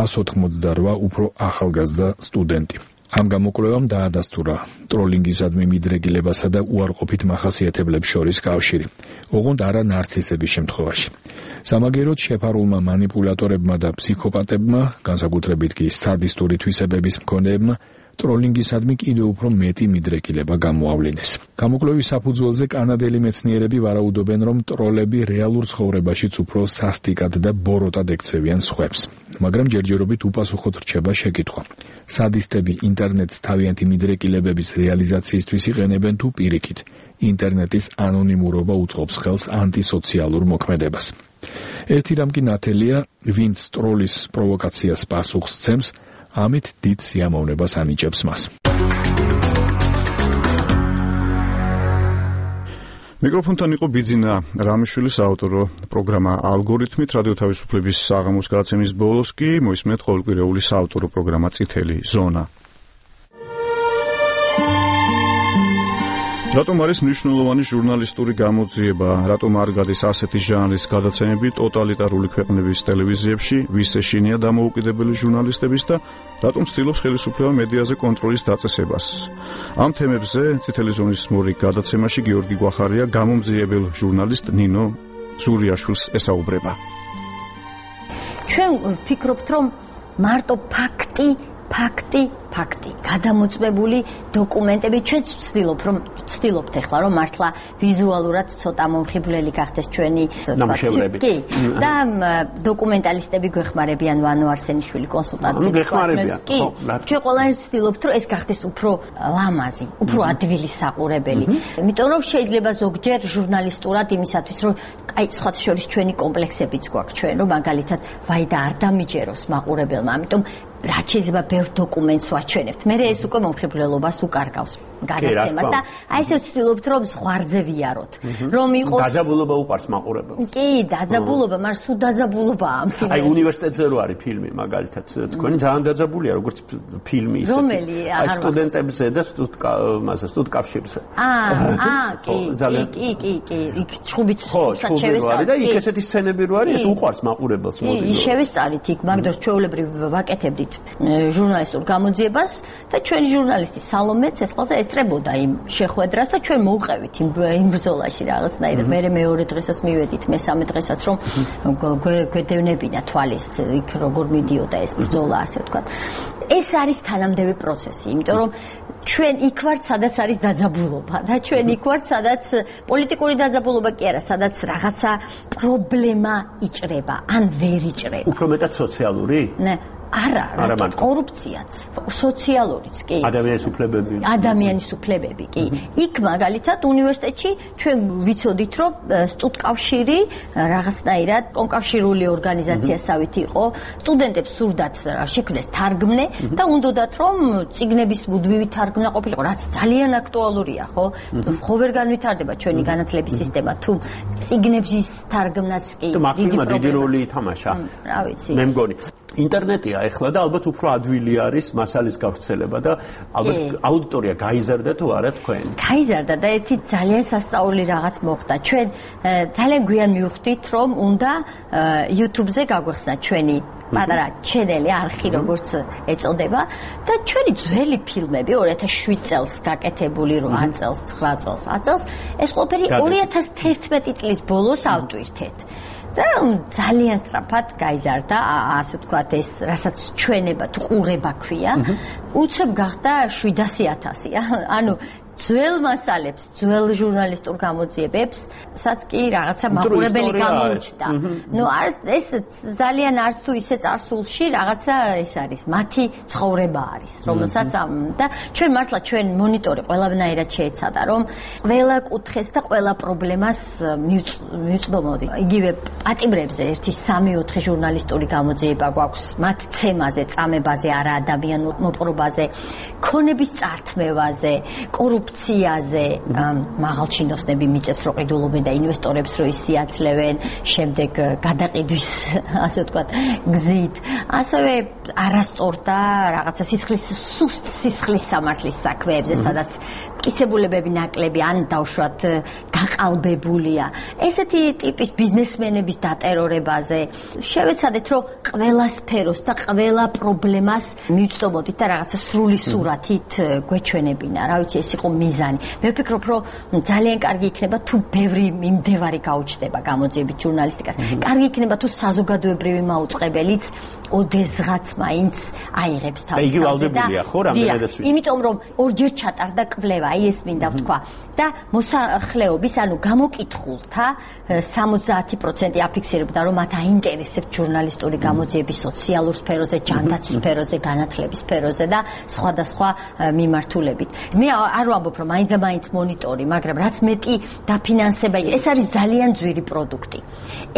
ას ოთხმოცდარვა უფრო ახალგაზრდა სტუდენტი. ამ გამოკვლევამ დაადასტურა ტროლინგისადმი მიდრეკილებასა და უარყოფით მახასიათებლებს შორის კავშირი, ოღონდ არა ნარცისების შემთხვევაში. სამაგეროდ შეფარულმა მანიპულატორებმა და ფსიქოპატებმა, განსაკუთრებით კი სადისტური თვისებების მქონეებმა, ტროლინგისადმი კიდევ უფრო მეტი მიდრეკილება გამოავლინეს. გამოკვლევის საფუძველზე კანადელი მეცნიერები ვარაუდობენ, რომ ტროლები რეალურ ცხოვრებაშიც უფრო სასტიკად და ბოროტად ექცევიან სხვებს. მაგრამ ჯერჯერობით უპასუხოდ რჩება შეკითხვა: სადისტები ინტერნეტს თავიანთი მიდრეკილებების რეალიზაციისთვის იყენებენ თუ პირიქით? ინტერნეტის ანონიმურობა უწყობს ხელს ანტისოციალურ მოქმედებას. ერთი რამ კი ნათელია, ვინც ტროლის პროვოკაციას პასუხს სცემს, ამით დიდ სიამოვნებას ანიჭებს მას. მიკროფონთან იყო ბიძინა რამიშვილის საავტორო პროგრამა ალგორითმით. რადიო თავისუფლების საღამოს გადაცემის ბოლოს კი მოისმენთ ყოველკვირეული საავტორო პროგრამა წითელი ზონა. რატომ არის მნიშვნელოვანი ჟურნალისტური გამოძიება? რატომ არ გადის ასეთი ჟანრის გადაცემები ტოტალიტარული ქვეყნების ტელევიზიებში? ვის ეშინია დამოუკიდებელი ჟურნალისტების და რატომ ცდილობს ხელისუფლება მედიაზე კონტროლის დაწესებას? ამ თემებზე წითელი ზონის მორიგ გადაცემაში გიორგი გვახარია გამომძიებელ ჟურნალისტ ნინო ზურიაშვილს ესაუბრება. ჩვენ ვფიქრობთ, რომ მარტო ფაქტი ფაქტი ფაქტი გადამოწმებული დოკუმენტები ჩვენც ვცდილობ რომ ვცდილობთ ახლა რომ მართლა ვიზუალურად ცოტა მომხიბვლელი გახდეს ჩვენი ნამუშევრები და დოკუმენტალისტები გვეხმარებიან ვანო არსენიშვილი კონსულტაციებს კი ჩვენ ყველანი ვცდილობთ რომ ეს გახდეს უფრო ლამაზი უფრო ადვილი საყურებელი იმიტომ რომ შეიძლება ზოგჯერ ჟურნალისტურად იმისათვის რომ აი სხვათა შორის ჩვენი კომპლექსებიც გვაქვს ჩვენ რომ მაგალითად ვაი და არ დამიჯეროს მაყურებელმა ამიტომ რაც შეიძლება ბევრ დოკუმენტს ვაჩვენებთ. მე ეს უკვე მომხიბვლელობას უკარგავს გადაცემას და აი ესე ვცდილობთ რომ ზღვარზე ვიაროთ. რომ იყოს დაძაბულობა უყარს მაყურებელს. კი, დაძაბულობა, მაგრამ სულ დაძაბულობაა ამ ფილმში. აი უნივერსიტეტზე რო არის ფილმი მაგალითად, თქვენი ძალიან დაძაბულია როგორც ფილმი ისეთი. რომელი? აი სტუდენტებზე და სტუდკავმაზე, სტუდკავშირზე. აა, აა, კი, კი, კი, კი, იქ ჩხუბიც ჩხუბიც და იქ ესეთი სცენები რო არის, ეს უყარს მაყურებელს მოდი. კი, შევესწარით იქ, მაგ დროს ჩვეულებრივ ვაკეთებდით ჟურნალისტურ გამოძიებას და ჩვენი ჟურნალისტი სალომე ცეცხლაძე ესწრებოდა იმ შეხვედრას და ჩვენ მოვყევით იმ იმ ბრძოლაში რაღაცნაირად. მე მეორე დღესაც მივედით, მესამე დღესაც რომ გვედევნებინა თვალის იქ როგორ მიდიოდა ეს ბრძოლა ასე ვთქვათ. ეს არის თანამდები პროცესი, იმიტომ რომ ჩვენ იქ ვართ, სადაც არის დაძაბულობა და ჩვენ იქ ვართ, სადაც პოლიტიკური დაძაბულობა კი არა, სადაც რაღაცა პრობლემა იჭრება, ან ვერ იჭრება. უფრო მეტად სოციალური? ნე არა, რა კორუფციაც, სოციალურიც კი. ადამიანის უფლებები. ადამიანის უფლებები კი. იქ მაგალითად უნივერსიტეტში ჩვენ ვიცოდით, რომ სტუდკავშირი რაღაცნაირად კონკავშირული ორგანიზაციასავით იყო. სტუდენტებს სურდათ შექმნეს თარგმნე და უნდათ რომ წიგნების მუდმივი თარგმნა ყოფილიყო, რაც ძალიან აქტუალურია, ხო? ხო ვერ განვითარდება ჩვენი განათლების სისტემა თუ წიგნების თარგმნაც კი დიდი პრობლემა. დიდი როლი ითამაშა. რა ვიცი. მე მგონი ინტერნეტია ეხლა და ალბათ უფრო ადვილი არის მასალის გავრცელება და ალბათ აუდიტორია გაიზარდა თუ არა თქვენ? გაიზარდა და ერთი ძალიან სასწაული რაღაც მოხდა. ჩვენ ძალიან გვიან მივხვდით რომ უნდა YouTube-ზე გაგვეხსნა ჩვენი პატარა ჩენელი, არხი როგორც ეწოდება და ჩვენი ძველი ფილმები ორი ათას შვიდ წელს გაკეთებული, რვა წელს, ცხრა წელს, ათ წელს ეს ყველაფერი ორი ათას თერთმეტი წლის ბოლოს ავტვირთეთ. და ძალიან სწრაფად გაიზარდა, ასე ვთქვათ, ეს რასაც ჩვენება თუ ყურება ქვია, უცებ გახდა შვიდასი ათასი. ანუ ძველ მასალებს, ძველ ჟურნალისტურ გამოძიებებსაც კი რაღაცა მაყურებელი გამოუჩნდა. ნუ ეს ძალიან არც თუ ისე წარსულში რაღაცა ეს არის, მათი ცხოვრება არის, რომელსაც და ჩვენ მართლა ჩვენ მონიტორი ყველანაირად შეეცადა, რომ ყველა კუთხეს და ყველა პრობლემას მივწდომოდი. იგივე პატიმრებზე ერთი სამი ოთხი ჟურნალისტური გამოძიება გვაქვს, მათ ცემაზე, წამებაზე, არა ადამიანურ მოპყრობაზე, ქონების წართმევაზე, კორუფციაზე, მაღალჩინოსნები მიწებს რო ყიდულობენ და ინვესტორებს რო ისიათლევენ, შემდეგ გადაყიდვის, ასე ვთქვათ, გზით. ასევე არასწორ და რაღაცა სისხლის სუსტ სისხლის სამართლის საქმეებზე, სადაც მტკიცებულებები ნაკლები ან დავშვათ გაყალბებულია. ესეთი ტიპის ბიზნესმენების დატერორებაზე შევეცადეთ, რომ ყველა სფეროს და ყველა პრობლემას მივწდომოდით და რაღაცა სრული სურათით გვეჩვენებინა. რა ვიცი, ეს იყო მიზანი. მე ვფიქრობ, რომ ძალიან კარგი იქნება თუ ბევრი მიმდევარი გაუჩნდება გამოძიებით ჟურნალისტიკას. კარგი იქნება თუ საზოგადოებრივი მაუწყებელიც ოდესღაც მაინც აიღებს თავს. და იგი ვალდებულია, ხო, რამდენადაც ვიცი. იმიტომ რომ ორჯერ ჩატარდა კვლევა, აი ეს მინდა ვთქვა. და მოსახლეობის, ანუ გამოკითხულთა სამოცდაათი პროცენტი აფიქსირებდა, რომ მათ აინტერესებთ ჟურნალისტური გამოძიების სოციალურ სფეროზე, ჯანდაცვის სფეროზე, განათლების სფეროზე და სხვადასხვა მიმართულებით. მე არ ვამბობ, რომ მაინც და მაინც მონიტორი, მაგრამ რაც მეტი დაფინანსება, ეს არის ძალიან ძვირი პროდუქტი.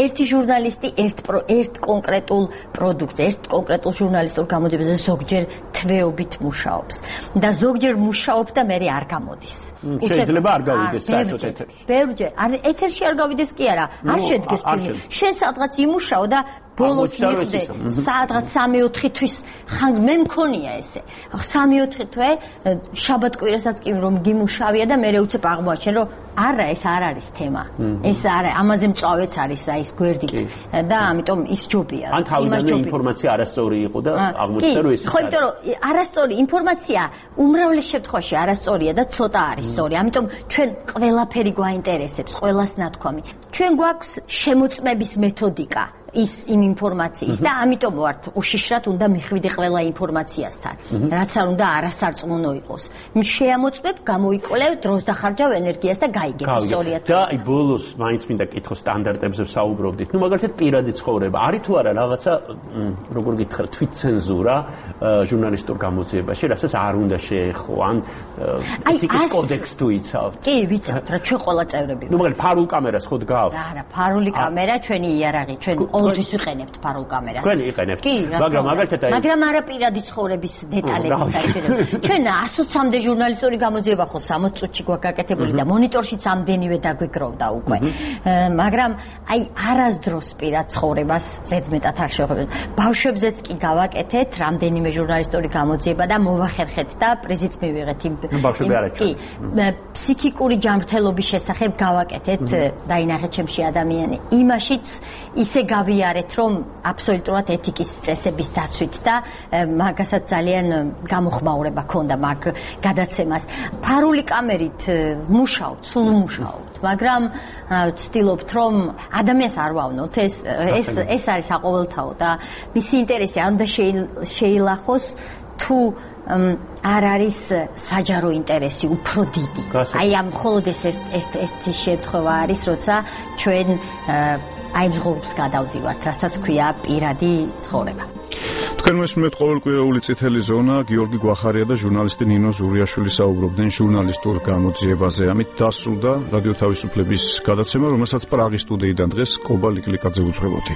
ერთი ჟურნალისტი ერთ ერთ კონკრეტულ პროდუქტზე, ერთ კონკრეტულ ჟურნალისტურ გამოძიებაზე ზოგჯერ თვეობით მუშაობს და ზოგჯერ მუშაობს და მე არ გამოდის. შეიძლება არ გავიდეს საერთოდ ეთერში. ბევრჯერ, არ ეთერში არ გავიდეს კი არა, არ შედგეს ფილმი. შენ სადღაც იმუშაო და ბოლოს მიხვდე სადღაც სამი ოთხი თვის ხან მე მქონია ესე. სამი ოთხი თვე შაბათ-კვირასაც კი რომ გიმუშავია და მე უცებ აღმოაჩენ რომ არა ეს არ არის თემა. ეს არა, ამაზე მწვავეც არის აი ეს გვერდით და ამიტომ ის ჯობია. ან თავიდანვე ინფორმაცია არასწორი იყო და აღმოჩნდა რომ ეს ხო, იმიტომ რომ არასწორი ინფორმაცია უმრავლეს შემთხვევაში არასწორია და ცოტა არის სწორი. ამიტომ ჩვენ ყველაფერი გვაინტერესებს, ყველას ნათქვამი. ჩვენ გვაქვს შემოწმების მეთოდიკა. ის იმ ინფორმაციის და ამიტომ ვართ უშიშრად უნდა მიხვიდე ყველა ინფორმაციასთან, რაც არ უნდა არასარწმუნო იყოს. შეამოწმებ, გამოიკვლევ, დროს დახარჯავ ენერგიას და გაიგებ სწორია. და აი ბოლოს მაინც მინდა კითხო სტანდარტებზე ვსაუბრობდით. ნუ მაგალითად პირადი ცხოვრება, არის თუ არა რაღაცა, როგორ გითხრათ, თვითცენზურა ჟურნალისტურ გამოძიებაში, რასაც არ უნდა შეეხო, ან ეთიკის კოდექს თუ იცავთ? კი, ვიცავთ, რა ჩვენ ყველა წევრები. ნუ მაგალითად ფარულ კამერას ხო დგავთ? არა, ფარული კამერა ჩვენი იარაღი, ჩვენ ყოველთვის ვიყენებთ ფარულ კამერას. თქვენ იყენებთ. მაგრამ მაგალითად აი მაგრამ არა პირადი ცხოვრების დეტალების საჭიროება. ჩვენ ასოცამდე ჟურნალისტური გამოძიება ხო სამოც წუთში გვაგაკეთებული და მონიტორშიც ამდენივე დაგვიგროვდა უკვე. მაგრამ აი არასდროს პირად ცხოვრებას ზედმეტად არ შევხვდებით. ბავშვებზეც კი გავაკეთეთ რამდენიმე ჟურნალისტური გამოძიება და მოვახერხეთ და პრიზიც მივიღეთ იმ ბავშვები არა კი ფსიქიკური ჯანმრთელობის შესახებ გავაკეთეთ დაინახეთ ჩემში ადამიანი. იმაშიც ისე გავიარეთ რომ აბსოლუტურად ეთიკის წესების დაცვით და მაგასაც ძალიან გამოხმაურება ქონდა მაგ გადაცემას. ფარული კამერით მუშაობთ, სულ მუშაობთ, მაგრამ ვცდილობთ რომ ადამიანს არ ვავნოთ, ეს ეს ეს არის საყოველთაო და მისი ინტერესი არ უნდა შეილახოს თუ არ არის საჯარო ინტერესი უფრო დიდი. აი ამ მხოლოდ ეს ერთი შემთხვევა არის, როცა ჩვენ აი ზღობს გადავდივართ, რასაც ქვია პირადი ცხოვრება. თქვენ მოსმენთ ყოველკვირეული წითელი ზონა, გიორგი გვახარია და ჟურნალისტი ნინო ზურიაშვილი საუბრობდნენ ჟურნალისტურ გამოძიებაზე. ამით დასრულდა რადიო თავისუფლების გადაცემა, რომელსაც პრაღის სტუდიიდან დღეს კობა ლიკლიკაძე უძღვებოდი.